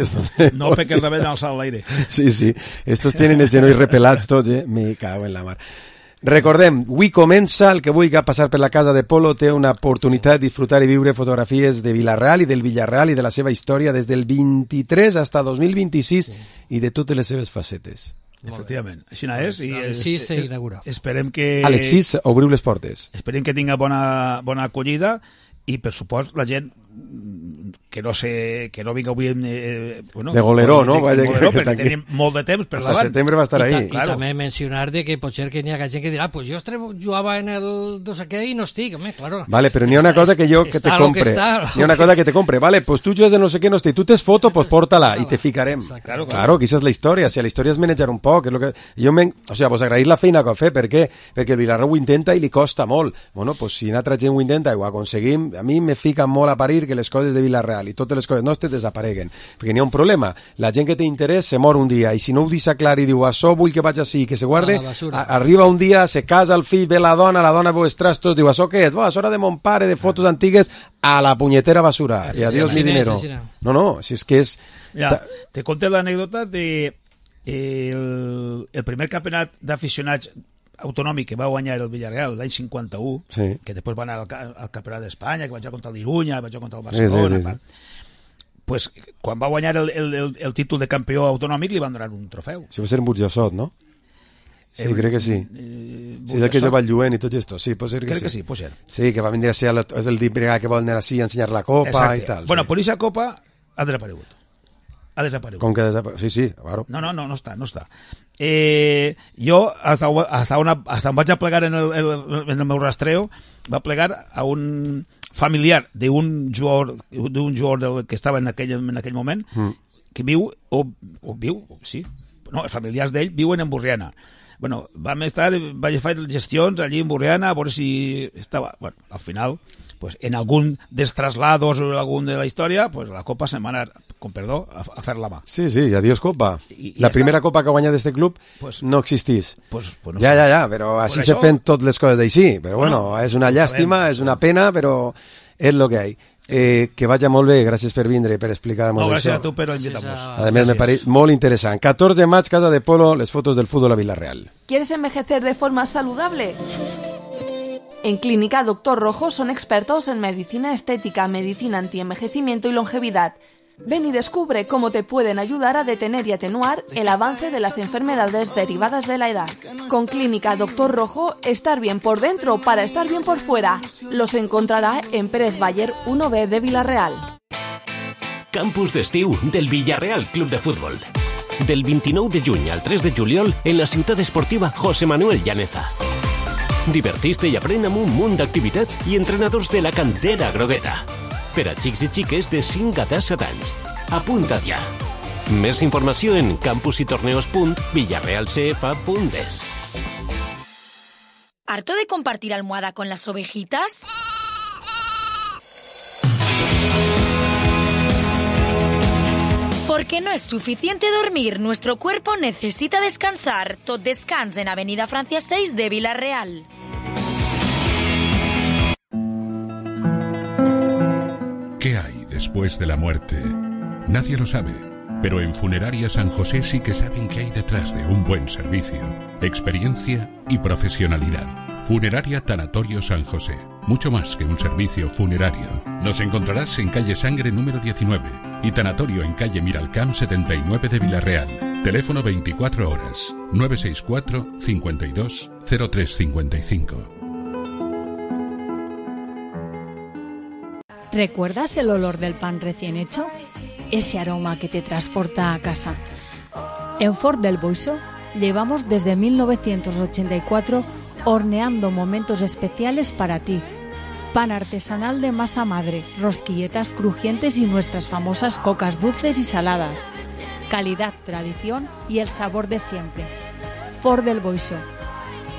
No, perquè el rebel alçat a l'aire. Sí, estos tienen els genolls repelats tots, Me cago en la mar. Recordem, avui comença, el que vulgui passar per la casa de Polo té una oportunitat de disfrutar i viure fotografies de Villarreal i del Villarreal i de la seva història des del 23 fins al 2026 i de totes les seves facetes. Efectivament, així és. A les 6 s'inaugura. Esperem que... A les 6 obriu les portes. Esperem que tinga bona acollida i, per supost, la gent que no vinga avui de goleró, no? Perquè tenim molt de temps per davant. Hasta setembre va estar ahí. I també mencionar de que potser que n'hi ha gent que dirà pues jo jugava en el no sé què i no estic, home, claro. Vale, però n'hi ha una cosa que jo que te compre. N'hi ha una cosa que te compre, vale, pues tu jugues de no sé què, no estic. Tu tens foto, pues porta-la i te ficarem. Claro, que aquesta és la història. Si la història és manejar un poc, és lo que o sea, pues agrair la feina que ha fet, per què? Perquè el Villarreal ho intenta i li costa molt. Bueno, pues si una altra gent ho intenta i ho aconseguim, a mi me fica molt a parir que les coses de Villarreal i totes les coses nostres desapareguen, perquè n'hi ha un problema, la gent que té interès se mor un dia, i si no ho deixa clar i diu això vull que vaig així, que se guarde, arriba un dia, se casa el fill, ve la dona veu els trastos, diu això què és? Això era de mon pare, de fotos antigues, a la punyetera basura, i adiós mi dinero. No, si és que és... Ja, te conté l'anècdota de el primer campionat d'aficionats autonòmic que va guanyar el Villarreal l'any 51, que després va anar al campionat d'Espanya, que va jugar contra l'Irunya, va jugar contra el Barcelona, pues quan va guanyar el títol de campió autonòmic li van donar un trofeu. Si va ser en Burjassot, no? Sí, crec que sí. Sí, és el que jo va al Lluent i tot esto. Sí, pot ser que sí. Crec que sí, pot ser. Sí, que va vindre a ser, és el primer que vol anar així a ensenyar la copa i tal. Bueno, per aquesta copa ha desaparegut. Com que desaparegut? Sí, claro. No està. Jo, hasta on vaig a plegar en el meu rastreo, va plegar a un familiar d'un jugador que estava en aquell moment, que viu, els familiars d'ell viuen en Borriana. Bueno, vaig fer gestions allí en Borriana a veure si estava... Bueno, al final, pues, en algun dels traslados o algun de la història, pues, la Copa se'n va anar, con perdó, a fer la mà. Sí, adiós Copa. La primera Copa que ha guanyat d'este club no existís. No ja, però així se fent totes les coses d'així. Però bueno, és una llàstima, és una pena, però és el que hi ha. Que vaya molt bé, gràcies per vindre i per explicar-nos això. Gràcies a tu per invitar-nos. A més, me pareix molt interessant. 14 de maig, Casa de Polo, les fotos del fútbol a Villarreal. ¿Quieres envejecer de forma saludable? En Clínica Doctor Rojo son expertos en medicina estética, medicina antienvejecimiento y longevidad. Ven y descubre cómo te pueden ayudar a detener y atenuar el avance de las enfermedades derivadas de la edad. Con Clínica Doctor Rojo, estar bien por dentro para estar bien por fuera. Los encontrará en Pérez Bayer 1B de Villarreal. Campus d'estiu del Villarreal Club de Futbol. Del 29 de juny al 3 de juliol en la ciutat esportiva José Manuel Llaneza. Divertiste i aprèn amb un munt d'activitats i entrenadors de la cantera grogueta. Per a xics i xiques de 5 a 17 anys. Apunta't ja. Més informació en campusytorneos.villarrealcf.es. ¿Harto de compartir almohada con las ovejitas? Porque no es suficiente dormir, nuestro cuerpo necesita descansar. Tot Descans en Avenida Francia 6 de Villarreal. ¿Qué hay después de la muerte? Nadie lo sabe. Pero en Funeraria San José sí que saben qué hay detrás de un buen servicio, experiencia y profesionalidad. Funeraria Tanatorio San José. Mucho más que un servicio funerario. Nos encontrarás en calle Sangre número 19 y Tanatorio en calle Miralcamp 79 de Villarreal. Teléfono 24 horas 964 52 0355. ¿Recuerdas el olor del pan recién hecho? Ese aroma que te transporta a casa. En Ford del Boixó llevamos desde 1984 horneando momentos especiales para ti. Pan artesanal de masa madre, rosquilletas crujientes y nuestras famosas cocas dulces y saladas. Calidad, tradición y el sabor de siempre. Ford del Boixó.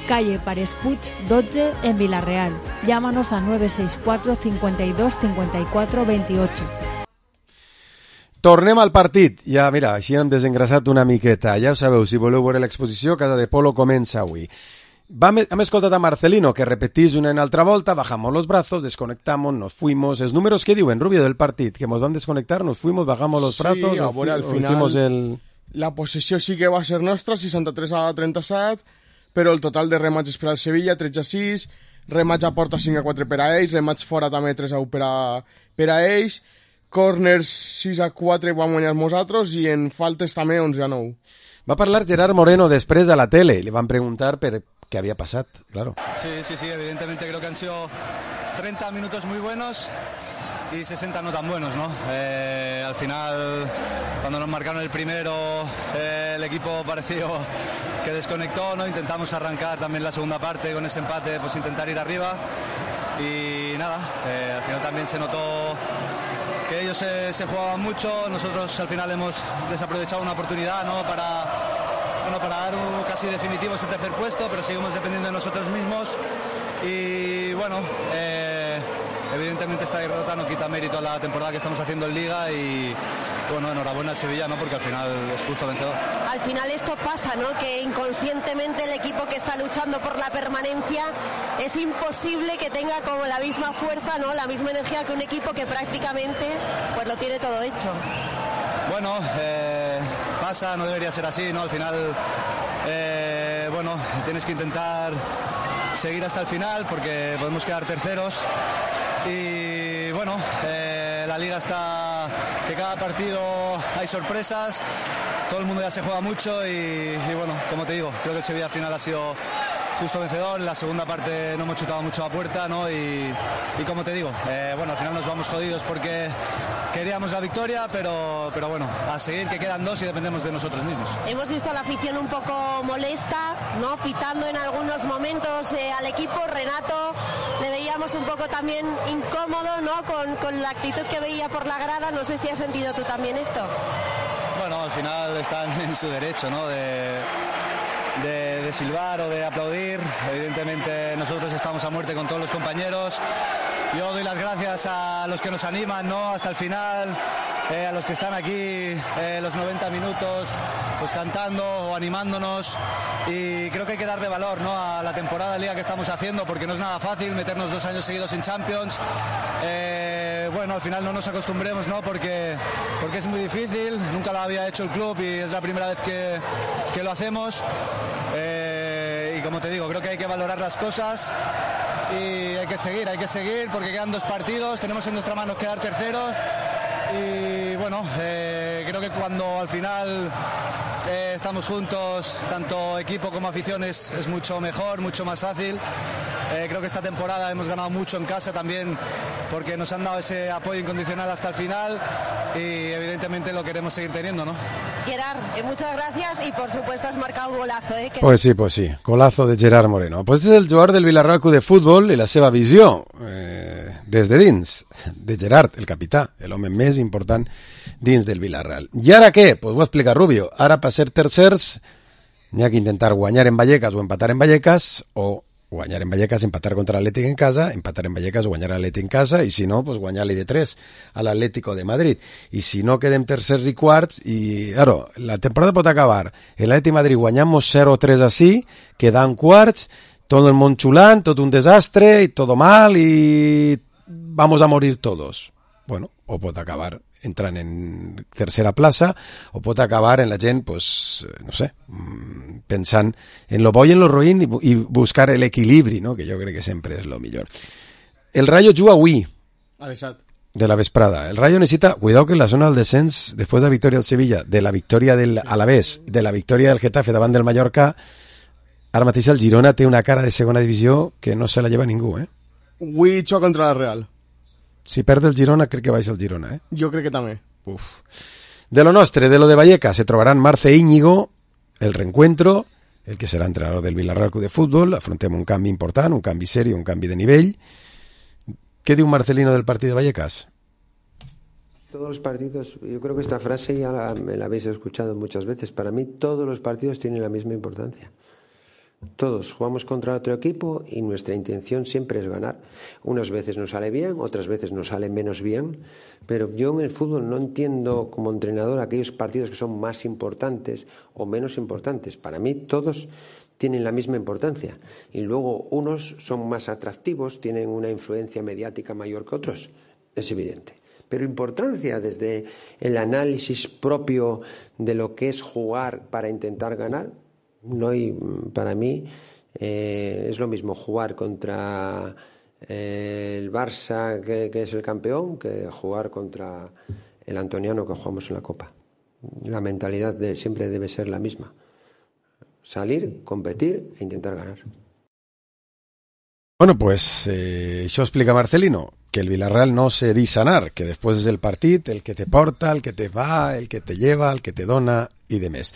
Calle Pares Puig 12 en Villarreal. Llámanos a 964 52 54 28. Tornem al partit. Ja, mira, així hem desengrasat una miqueta. Ja ho sabeu, si voleu veure l'exposició, Casa de Polo comença avui. Hem escoltat a Marcelino, que repetís una en altra volta, bajamos los brazos, desconectamos, nos fuimos. Els números que diuen, Rubio, del partit, que nos van desconectar, nos fuimos, bajamos los brazos, sí, al final la possessió sí que va ser nostra, 63-37, però el total de remats per al Sevilla, 13-6, remats a porta 5-4 per a ells, remats fora també 3-1 per a ells, corners 6-4 vam guanyar nosaltres i en faltes també 11-9. Va parlar Gerard Moreno després a la tele, li van preguntar per qué había pasado, claro. Sí, evidentemente creo que han sido 30 minutos muy buenos y 60 no tan buenos, ¿no? Al final, cuando nos marcaron el primero, el equipo pareció que desconectó, ¿no? Intentamos arrancar también la segunda parte con ese empate, pues intentar ir arriba y nada, al final también se notó que ellos se jugaban mucho, nosotros al final hemos desaprovechado una oportunidad, ¿no? Para dar un casi definitivo ese tercer puesto, pero seguimos dependiendo de nosotros mismos y bueno, evidentemente esta derrota no quita mérito a la temporada que estamos haciendo en Liga y bueno, enhorabuena al Sevilla, ¿no? Porque al final es justo vencedor. Al final esto pasa, ¿no? Que inconscientemente el equipo que está luchando por la permanencia es imposible que tenga como la misma fuerza, ¿no? La misma energía que un equipo que prácticamente pues lo tiene todo hecho. Bueno, pasa, no debería ser así, ¿no? Al final, bueno, tienes que intentar seguir hasta el final porque podemos quedar terceros y bueno, la Liga está que cada partido hay sorpresas, todo el mundo ya se juega mucho y bueno, como te digo, creo que el Sevilla al final ha sido justo vencedor. En la segunda parte no hemos chutado mucho a puerta, ¿no? Y como te digo, bueno, al final nos vamos jodidos porque queríamos la victoria, pero bueno, a seguir, que quedan dos y dependemos de nosotros mismos. Hemos visto a la afición un poco molesta, ¿no? Pitando en algunos momentos al equipo. Renato le veíamos un poco también incómodo, ¿no? Con la actitud que veía por la grada. No sé si has sentido tú también esto. Bueno, al final están en su derecho, ¿no? De silbar o de aplaudir. Evidentemente nosotros estamos a muerte con todos los compañeros. Yo doy las gracias a los que nos animan, ¿no? Hasta el final, a los que están aquí los 90 minutos pues cantando o animándonos, y creo que hay que darle valor, ¿no? A la temporada de Liga que estamos haciendo, porque no es nada fácil meternos 2 años seguidos en Champions. Bueno, al final no nos acostumbremos, ¿no? Porque es muy difícil, nunca lo había hecho el club y es la primera vez que lo hacemos. Y como te digo, creo que hay que valorar las cosas y hay que seguir porque quedan 2 partidos, tenemos en nuestra mano quedar terceros y bueno, creo que cuando al final estamos juntos, tanto equipo como afición, es mucho mejor, mucho más fácil. Creo que esta temporada hemos ganado mucho en casa también porque nos han dado ese apoyo incondicional hasta el final y evidentemente lo queremos seguir teniendo, ¿no? Gerard, muchas gracias y por supuesto has marcado un golazo, ¿eh? Pues sí, golazo de Gerard Moreno. Pues és el jugador del Villarreal Club de Futbol i la seva visió des de dins, de Gerard, el capità, l'home més important dins del Villarreal. I ara què? Pues ho explica Rubio. Ara per ser tercers n'hi ha que intentar guanyar en Vallecas o empatar en Vallecas, o guanyar en Vallecas, empatar contra l'Atlètic en casa, empatar en Vallecas o guanyar l'Atlètic en casa, i si no, pues guanyar-li de 3 a l'Atlético de Madrid. I si no, quedem tercers i quarts, i claro, la temporada pot acabar el Atlético de Madrid guanyamos 0-3 así, quedan quarts, todo el món xulant, tot un desastre, y todo mal, y vamos a morir todos. bueno, o pot acabar entrant en tercera plaça, o pot acabar en la gent, pues, no sé, pensant en lo bo i en lo ruïn i buscar l'equilibri, no? Que jo crec que sempre és lo millor. El Rayo juga avui, de la vesprada. El Rayo necesita, cuidado que en la zona del descens, después de la victòria del Sevilla, de la victòria del Alavés, de la victòria del Getafe davant del Mallorca, ara mateix el Girona té una cara de segona divisió que no se la lleva ningú, eh? Avui xoca contra la Real. Si perd el Girona, crec que baixa el Girona, eh? Jo crec que també. Uf. De lo nostre, de lo de Vallecas, se trobaran Marce e Íñigo, el reencuentro, el que serà entrenador del Villarreal Club de Fútbol, afrontem un canvi important, un canvi serio, un canvi de nivell. ¿Qué dice un Marcelino del partido de Vallecas? Todos los partidos, yo creo que esta frase ya me la habéis escuchado muchas veces. Para mí todos los partidos tienen la misma importancia. Todos jugamos contra otro equipo y nuestra intención siempre es ganar. Unas veces nos sale bien, otras veces nos sale menos bien, pero yo en el fútbol no entiendo como entrenador aquellos partidos que son más importantes o menos importantes. Para mí todos tienen la misma importancia y luego unos son más atractivos, tienen una influencia mediática mayor que otros, es evidente. Pero importancia desde el análisis propio de lo que es jugar para intentar ganar, no hay, para mí es lo mismo jugar contra el Barça que es el campeón que jugar contra el Antoniano que jugamos en la Copa. La mentalidad siempre debe ser la misma. Salir, competir e intentar ganar. Bueno, pues això explica Marcelino, que el Villarreal no se deixa anar, que després és el partit, el que te porta, el que te va, el que te lleva, el que te dona i de més.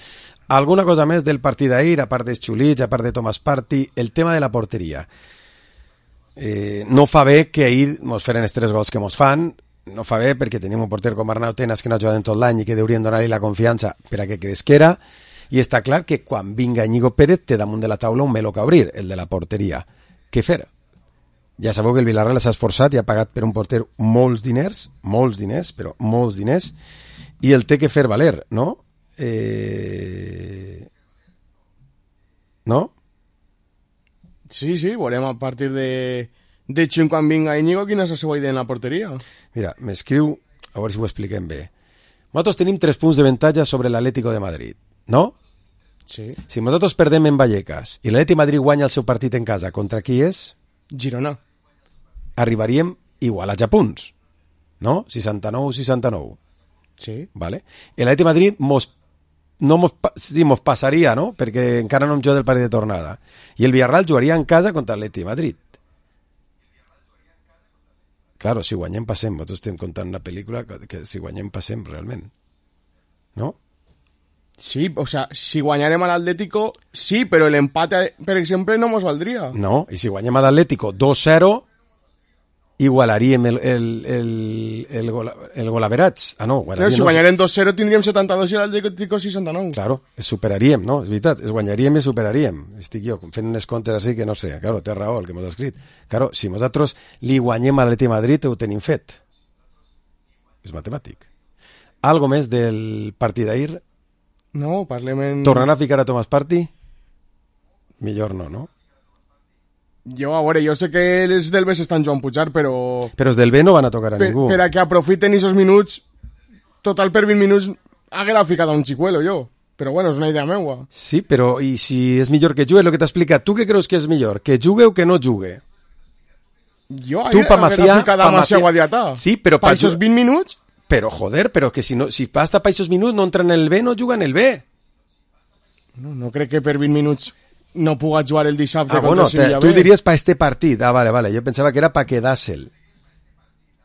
Alguna cosa més del partit d'ahir, a part dels xulits, a part de Thomas Partey, el tema de la porteria. No fa bé que ahir mos feren els 3 gols que mos fan, no fa bé perquè tenim un porter com Arnau Tenas que no ha jugat en tot l'any i que deurien donar-li la confiança per a que cresquera. I està clar que quan vinga Íñigo Pérez té damunt de la taula un meló que obrir, el de la porteria. Què fer? Ja sabeu que el Villarreal s'ha esforçat i ha pagat per un porter molts diners, però molts diners, i el té que fer valer, no? No? Sí, veurem a partir de juny quan vinga Íñigo quina és la seva idea en la porteria. Mira, m'escriu, a veure si ho expliquem bé. Nosaltres tenim 3 punts d'avantatge sobre l'Atlético de Madrid, no? Sí. Si nosaltres perdem en Vallecas i l'Atleti Madrid guanya el seu partit en casa, contra qui és? Girona. Arribaríem igualats a punts, no? 69-69. Sí. Vale. L'Atleti Madrid mos passaria, no? Perquè encara no hem jugat el partit de tornada. I el Villarreal jugaria en casa contra l'Atleti Madrid. Claro, si guanyem passem. Nosaltres estem contant una pel·lícula que si guanyem passem realment. No? Sí, o sea, si guanyarem a l'Atlético, sí, però l'empate, per exemple, no mos valdria. No, i si guanyem a l'Atlético 2-0, igualaríem el golaverats. Ah, no, si guanyarem 2-0 tindríem 72 i l'Atlético 69. Claro, es superaríem, no? És veritat, es guanyaríem i superaríem. Estic jo fent unes comptes així que no sé. Claro, té raó el que m'ho ha escrit. Claro, si nosaltres li guanyem a l'Atleti Madrid, ho tenim fet. És matemàtic. Algo més del partit d'ahir? No, parlem en... Tornarà a ficar a Thomas Partey? Millor no? Jo, a veure, jo sé que els del B s'estan jugant pujar, però... Però els del B no van a tocar a ningú. Per a que aprofiten aquests minuts, total per 20 minuts, haguera ficat a un xicuelo, jo. Però bueno, és una idea meua. Sí, però i si és millor que jugue, el que t'ha explicat, tu què creus que és millor? Que jugue o que no jugue? Jo haguera ficat a Macià Guadiatà. Sí, però... Per aquests 20 minuts... Però, joder, però que si basta per aquests minuts no entra en el B, no juga en el B. No crec que per 20 minuts no puga jugar el dissabte contra el Sevilla B. Tu diries per este partit. Ah, vale, jo pensava que era per quedar-se'l.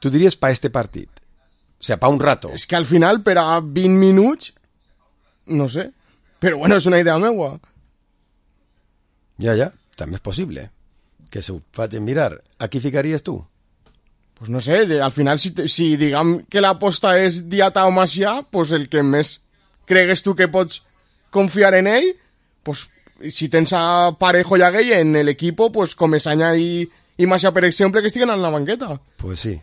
Tu diries per este partit. O sea, per un rato. És que al final, per a 20 minuts, no sé. Però bueno, és una idea meua. Ja, també és possible. Que s'ho facin mirar. A qui ficaries tu? Pues no sé, al final si diguem que l'aposta és Diata o Macià, pues el que més cregues tu que pots confiar en ell, pues si tens a Parejo i a Gueye en l'equip, pues com Esaña i Macià, per exemple, que estiguen en la banqueta. Pues sí.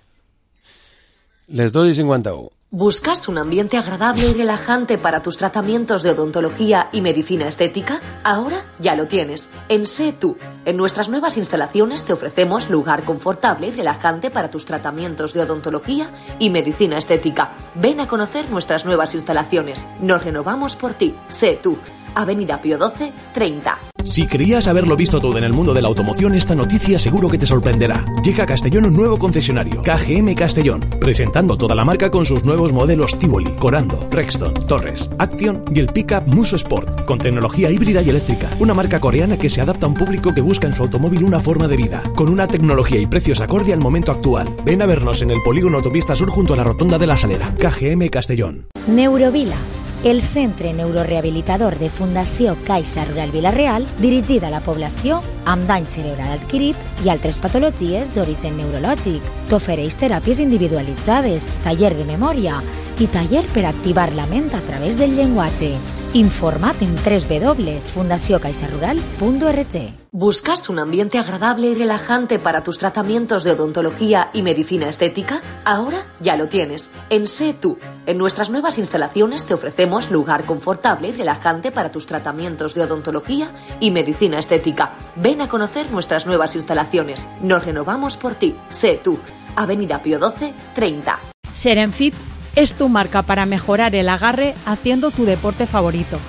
Les 2:51. ¿Buscas un ambiente agradable y relajante para tus tratamientos de odontología y medicina estética? Ahora ya lo tienes. En Sé Tú. En nuestras nuevas instalaciones te ofrecemos lugar confortable y relajante para tus tratamientos de odontología y medicina estética. Ven a conocer nuestras nuevas instalaciones. Nos renovamos por ti. Sé Tú. Avenida Pío XII, 30. Si creías haberlo visto todo en el mundo de la automoción, esta noticia seguro que te sorprenderá. Llega a Castellón un nuevo concesionario, KGM Castellón, presentando toda la marca con sus nuevos modelos Tivoli, Corando, Rexton, Torres, Action y el pickup Muso Sport, con tecnología híbrida y eléctrica. Una marca coreana que se adapta a un público que busca en su automóvil una forma de vida, con una tecnología y precios acorde al momento actual. Ven a vernos en el polígono Autopista Sur junto a la Rotonda de la Salera. KGM Castellón. Neurovila, el centre neurorehabilitador de Fundació Caixa Rural Vila-real, dirigida a la població amb dany cerebral adquirit i altres patologies d'origen neurològic. T'ofereix teràpies individualitzades, taller de memòria i taller per activar la ment a través del llenguatge. Informa't en www.fundaciocaixarural.org. ¿Buscas un ambiente agradable y relajante para tus tratamientos de odontología y medicina estética? Ahora ya lo tienes. En Sé Tú. En nuestras nuevas instalaciones te ofrecemos lugar confortable y relajante para tus tratamientos de odontología y medicina estética. Ven a conocer nuestras nuevas instalaciones. Nos renovamos por ti. Sé Tú. Avenida Pío XII, 30. Serenfit es tu marca para mejorar el agarre haciendo tu deporte favorito.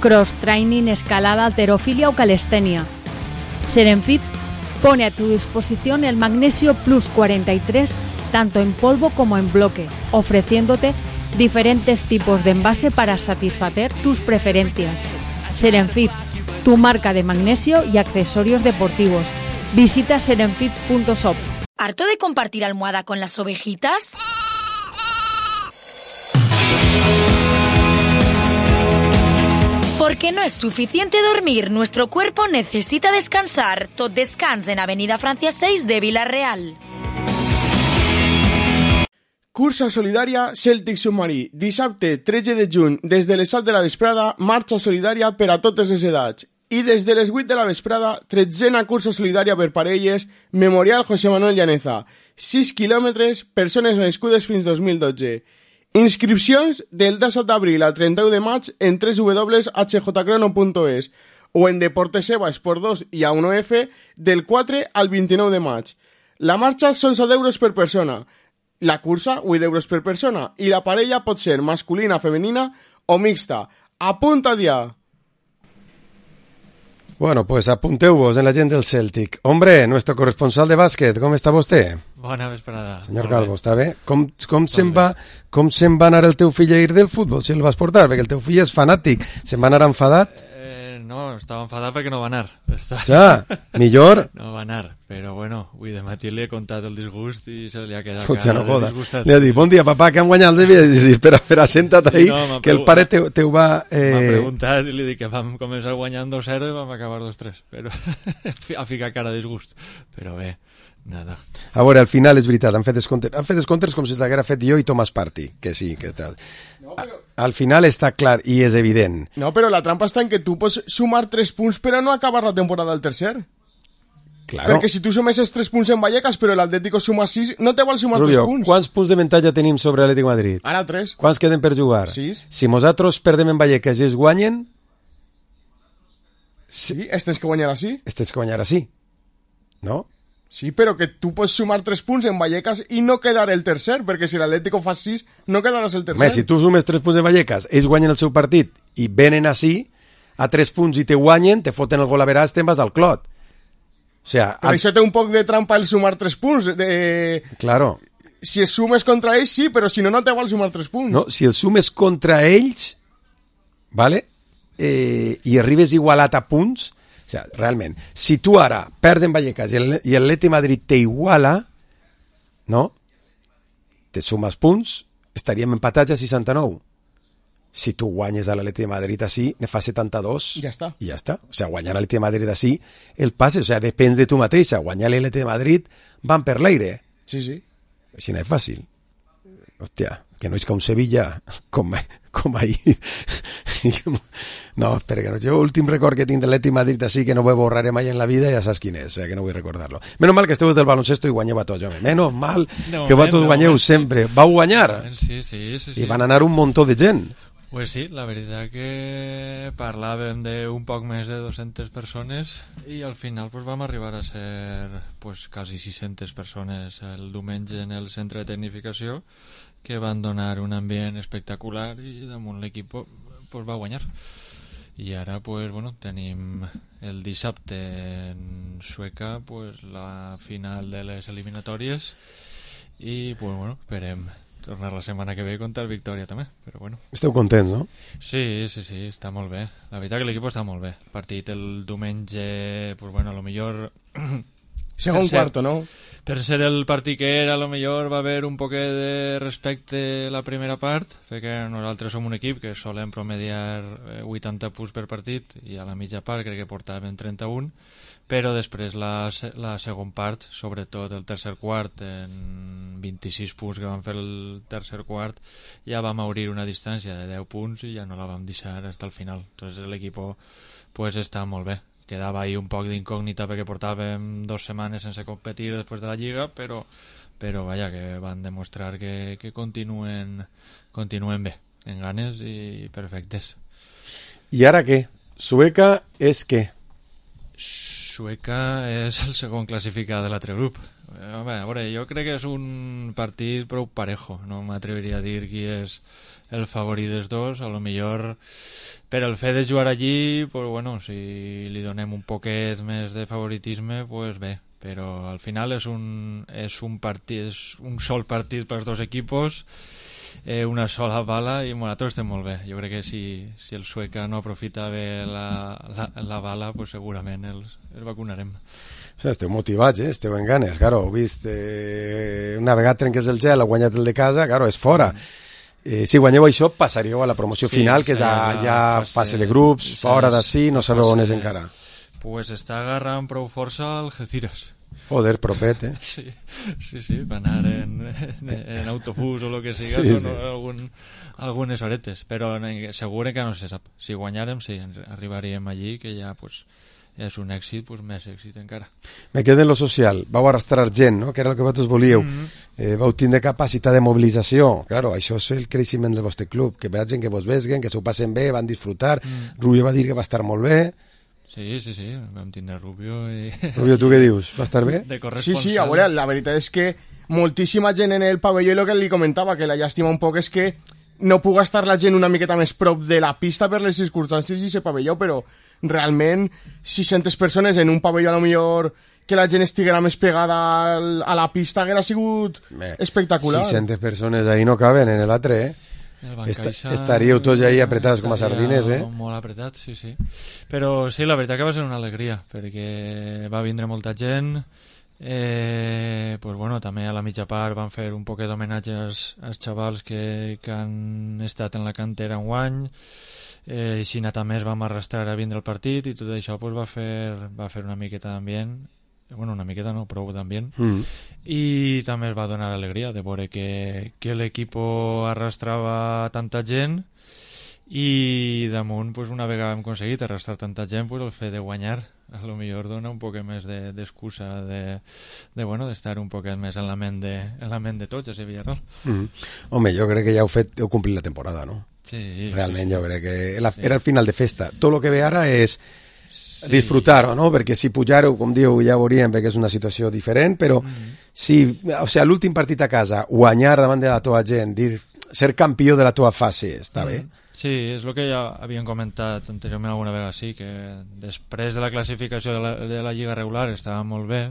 Cross training, escalada, halterofilia o calistenia. Serenfit pone a tu disposición el Magnesio Plus 43 tanto en polvo como en bloque, ofreciéndote diferentes tipos de envase para satisfacer tus preferencias. Serenfit, tu marca de magnesio y accesorios deportivos. Visita serenfit.shop. ¿Harto de compartir almohada con las ovejitas? Porque no es suficiente dormir, nuestro cuerpo necesita descansar. Tot descans en Avenida Francia 6 de Vila-real. Cursa solidària Cèltic Submarí. Dissabte 13 de juny, des de les 7 de la vesprada, marxa solidària per a totes les edats. I des de les 8 de la vesprada, 13a cursa solidària per parelles, Memorial José Manuel Llaneza. 6 quilòmetres, persones nascudes fins 2012. Inscripcions del 17 d'abril al 31 de maig en www.hjcrono.es o en Deportes Eva Esport 2 i A1F del 4 al 29 de maig. La marxa són 7 euros per persona. La cursa, 8 euros per persona. I la parella pot ser masculina, femenina o mixta. Apunta ja! Bueno, pues apunteu-vos en la gent del Celtic. Hombre, nuestro corresponsal de bàsquet, com està vostè? Bona vesprada. Senyor Calvo, està bé? Com se'n va anar el teu fill a ir del futbol, si el vas portar? Perquè el teu fill és fanàtic. Se'n va anar enfadat? No, estava enfadat perquè no va anar. Ja, millor. No va anar, però bueno, avui de matí li he contat el disgust i se li ha quedat cara no de disgustat. Li ha dit, bon dia, papà, que han guanyat el DVD. Sí, espera, senta't ahí, que el pare teu va... M'ha preguntat i li dic que vam començar guanyant 2-0 i vam acabar 2-3, però ha ficat cara de disgust. Però bé, nada. A veure, al final és veritat, han fet descomptes com si s'haguera fet jo i Thomas Partey, que sí, que està... No, però... Al final està clar i és evident. No, però la trampa està en que tu pots sumar 3 punts però no acabar la temporada al tercer. Claro. Perquè si tu sumesses 3 punts en Vallecas però l'Atlético suma 6, no te vol sumar Rubio, 3 punts. Quants punts de avantatge tenim sobre l'Atlètic Madrid? Ara 3. Quants queden per jugar? 6. Si nosaltres perdem en Vallecas i es guanyen... Sí, estes que guanyarà sí. Estes que guanyarà sí. No? Sí, però que tu pots sumar 3 punts en Vallecas i no quedar el tercer, perquè si l'Atlético fa 6, no quedaràs el tercer. Home, si tu sumes 3 punts en Vallecas, ells guanyen el seu partit i venen així, a 3 punts i te guanyen, te foten el gol a veràs, te'n vas al clot. O sea, però això té un poc de trampa el sumar 3 punts. Claro. Si es sumes contra ells, sí, però si no, no te val sumar 3 punts. No, si el sumes contra ells, vale? I arribes igualat a punts... O sea, realment, si tu ara perds en Vallecas i l'Atlètic Madrid t'iguala, no? Te sumes punts, estaríem empatats a 69. Si tu guanyes a l'Atlètic Madrid així, ne fa 72. Ja està. I ja està. O sea, guanyar l'Atlètic Madrid així, el passe, o sea, depèn de tu mateixa. Guanyar l'Atlètic Madrid van per l'aire. Sí, sí. Així no és fàcil. Hòstia, que no és que un Sevilla com ahir. No, espera, que no. Jo l'últim record que tinc de l'Atlètic Madrid així que no ho borraré mai en la vida, ja saps quin és, que no vull recordar-lo. Menos mal que esteu del baloncesto i guanyeu a tots, home. Menos mal que vosaltres guanyeu sempre. Vau guanyar? Sí. I van anar un muntó de gent. Pues sí, la veritat que parlàvem d'un poc més de 200 persones i al final pues, vam arribar a ser pues, quasi 600 persones el diumenge en el centre de tecnificació, que van donar un ambient espectacular i damunt l'equip pues, va guanyar. I ara pues, bueno, tenim el dissabte en Sueca pues, la final de les eliminatòries i pues, bueno, esperem tornar la setmana que ve contra el Victòria també, però bueno. Esteu contents, no? Sí, està molt bé. La veritat que l'equip està molt bé. El partit el diumenge, pues bueno, a lo millor... Segon quarto, no? Per ser el partit que era, a lo millor va haver un poquet de respecte la primera part, perquè nosaltres som un equip que solem promediar 80 punts per partit i a la mitja part crec que portàvem 31, però després la segon part, sobretot el tercer quart, en 26 punts que vam fer el tercer quart, ja vam obrir una distància de 10 punts i ja no la vam deixar fins al final. Entonces l'equip pues, està molt bé. Quedava ahí un poc d'incògnita perquè portàvem 2 setmanes sense competir després de la Lliga, però vaja, que van demostrar que continuen bé, en ganes i perfectes. I ara què? Sueca és què? Sueca és el segon classificat de l'altre grup. A veure, jo crec que és un partit prou parejo. No m'atreviria a dir qui és el favorit dels dos. A lo millor per el fet de jugar allí, pues bueno, si li donem un poquet més de favoritisme, pues bé. Però al final és un sol partit pels dos equipos, una sola bala i nosaltres estem molt bé. Jo crec que si el Sueca no aprofita bé la bala, pues segurament els vacunarem. O sigui, esteu motivats, esteu en ganes. Claro, heu vist una vegada trenques el gel, ha guanyat el de casa, claro, és fora. Si guanyeu això, passaríeu a la promoció final, que és ja fase de grups, fora d'ací, no sabeu on és encara. Pues està agarrant prou força el Algeciras. Joder, propet, Sí, va anar en autobús o lo que siga, sí. Són algunes horetes, però segur que no se sap. Si guanyarem, sí, arribaríem allí, que ja pues, és un èxit, pues, més èxit encara. Me quedo en lo social. Vau arrastrar gent, no? Que era el que vosaltres volíeu. Vau tindre capacitat de mobilització. Claro, això és el creixement del vostre club, que vegin que vos vesguen, que s'ho passen bé, van disfrutar. Rubio va dir que va estar molt bé. Sí, vam tindre Rubio i... Rubio, tu què dius? Va estar bé? Sí, a veure, la veritat és que moltíssima gent en el pavelló, i el que li comentava, que la llàstima un poc és que no puga estar la gent una miqueta més prop de la pista per les circumstàncies i ese pavelló, però realment 600 persones en un pavelló a lo millor que la gent estiguera més pegada a la pista haguera sigut espectacular. 600 persones ahí no caben en l'altre, estaríeu tots ahí apretats com a sardines, Molt apretats, sí. Però sí, la veritat que va ser una alegria, perquè va vindre molta gent, pues bueno, també a la mitja part van fer un poquet d'homenatge als xavals que han estat en la cantera enguany, així també es vam arrastrar a vindre al partit i tot això pues, va fer una miqueta d'ambient, bueno, una miqueta no, prou d'ambient, i també es va donar alegria de veure que l'equip arrastrava tanta gent i damunt, pues, una vegada hem aconseguit arrastrar tanta gent, pues, el fet de guanyar a lo millor dona un poc més d'excusa d'estar un poc més en la ment de tots a Sevilla Real. Home, jo crec que ja heu complit la temporada, no? Sí. Realment jo crec que era el final de festa. Tot el que ve ara és disfrutar-ho, no? Perquè si pujar-ho, com diu, ja veuríem, perquè és una situació diferent, però si, o sigui, l'últim partit a casa, guanyar davant de la teva gent, ser campió de la teva fase, està bé? Sí, és el que ja havíem comentat anteriorment alguna vegada, sí, que després de la classificació de la Lliga regular estava molt bé.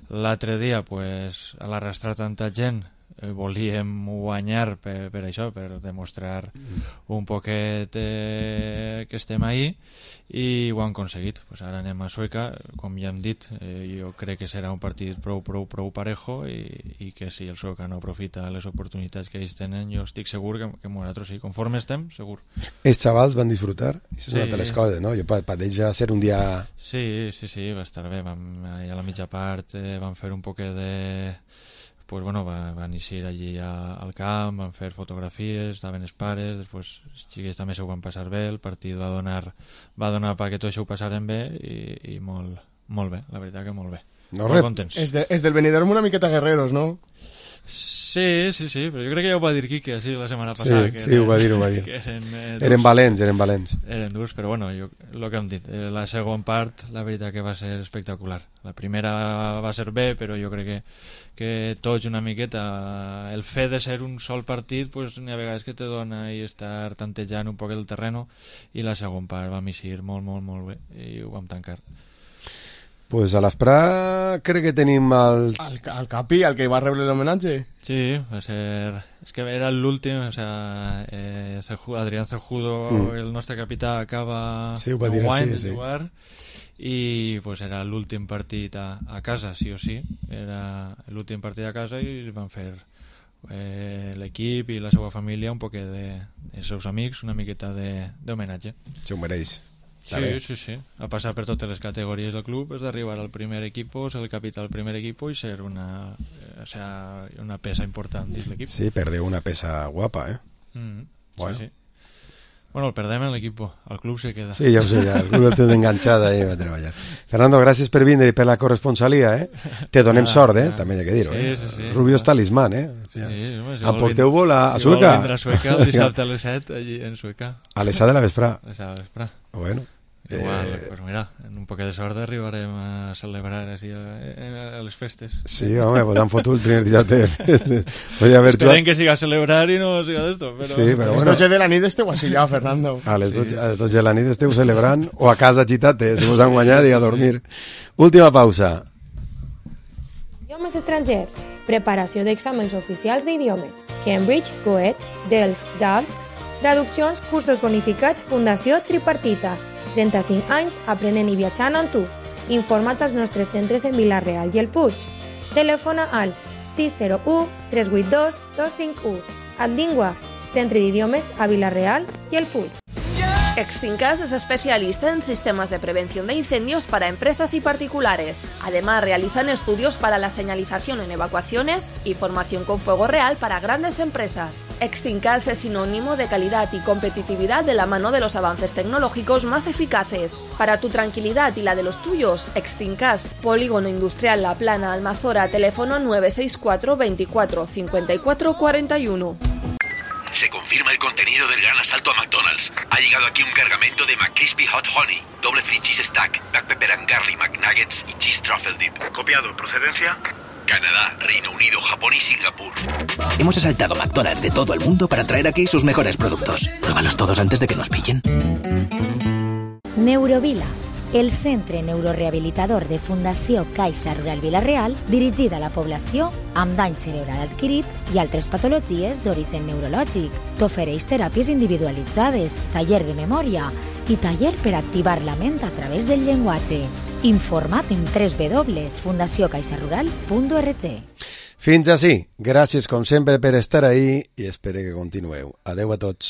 L'altre dia, pues, a l'arrastrar tanta gent, volíem guanyar per això, per demostrar un poquet que estem ahí, i ho han aconseguit. Pues ara anem a Sueca, com ja hem dit, jo crec que serà un partit prou parejo, i que si el Sueca no aprofita les oportunitats que ells tenen, jo estic segur que nosaltres sí, conforme estem, segur. Els xavals van disfrutar? Això és una de les coses, no? Per ells ja ser un dia... Sí, va estar bé. A la mitja part van fer un poquet de pues bueno, van ir allí al camp, van fer fotografies, estaven els pares, després els xiquets també s'ho van passar bé, el partit va donar perquè tot això ho passaren bé i molt bé, la veritat que molt bé. Molt contents. És del Benidorm una miqueta guerreros, no? Sí, però jo crec que ja ho va dir Quique així la setmana passada. Sí, ho va dir. Eren valents. Eren durs, però bueno, el que hem dit, la segona part, la veritat que va ser espectacular. La primera va ser bé, però jo crec que tots una miqueta, el fet de ser un sol partit, pues n'hi ha vegades que te dona i estar tantejant un poc el terreno, i la segona part va eixir molt bé, i ho vam tancar. Pues a l'Esprà crec que tenim el Capi, el que va rebre l'homenatge. Sí, va ser... És que era l'últim, o sea, Adrián Cejudo, el nostre capità, acaba de jugar, i pues era l'últim partit a casa, sí o sí. Era l'últim partit a casa i van fer l'equip i la seva família un poquet dels seus amics, una miqueta d'homenatge. Se ho mereix. Sí. A passar per totes les categories del club, és d'arribar al primer equip, ser el capità del primer equip i ser una peça important dins l'equip. Sí, perdeu una peça guapa, Bueno. Sí. Bueno, el perdem en l'equip, el club se queda. Sí, ja ho sé, el club el té enganxada i va treballar. Fernando, gràcies per vindre i per la corresponsalia, Te donem sort, també hi ha que dir-ho, Sí. Rubio és talismán, Sí, emporteu-vos a Sueca. Vindre a Sueca el dissabte a les 7, allí en Sueca. A les 7 de la vesprà. Bueno. Igual, pues mira, en un poquet de sort arribarem a celebrar així a les festes. Sí, home, pues han fotut el primer dissabte de festes. Esperen que siga a celebrar i no siga d'esto, però... Sí, però a les 12 de la nit esteu així ja, Fernando. A les 12 de la nit esteu celebrant o a casa gitate, si vos han guanyat i a dormir. Última pausa. Idiomes estrangers. Preparació d'exàmens oficials d'idiomes. Cambridge, Goethe, Delft, DALF. Traduccions, cursos bonificats, Fundació Tripartita. 35 anys aprenent i viatjant amb tu. Informa't als nostres centres en Vila-real i el Puig. Telefona al 601 382 251. Adlingua, Centre d'Idiomes a Vila-real y el Puig. Extincas es especialista en sistemas de prevención de incendios para empresas y particulares. Además, realizan estudios para la señalización en evacuaciones y formación con fuego real para grandes empresas. Extincas es sinónimo de calidad y competitividad de la mano de los avances tecnológicos más eficaces. Para tu tranquilidad y la de los tuyos, Extincas, Polígono Industrial La Plana, Almazora, teléfono 964 24 54 41. Se confirma el contenido del gran asalto a McDonald's. Ha llegado aquí un cargamento de McCrispy Hot Honey, doble free cheese stack, black pepper and garlic McNuggets y cheese truffle dip. Copiado. ¿Procedencia? Canadá, Reino Unido, Japón y Singapur. Hemos asaltado McDonald's de todo el mundo para traer aquí sus mejores productos. Pruébalos todos antes de que nos pillen. Neurovila, el centre neurorehabilitador de Fundació Caixa Rural Vila-real, dirigida a la població amb dany cerebral adquirit i altres patologies d'origen neurològic. T'ofereix teràpies individualitzades, taller de memòria i taller per activar la ment a través del llenguatge. Informa't en www.fundaciocaixarural.org. Fins ací. Gràcies, com sempre, per estar ahí i espero que continueu. Adeu a tots.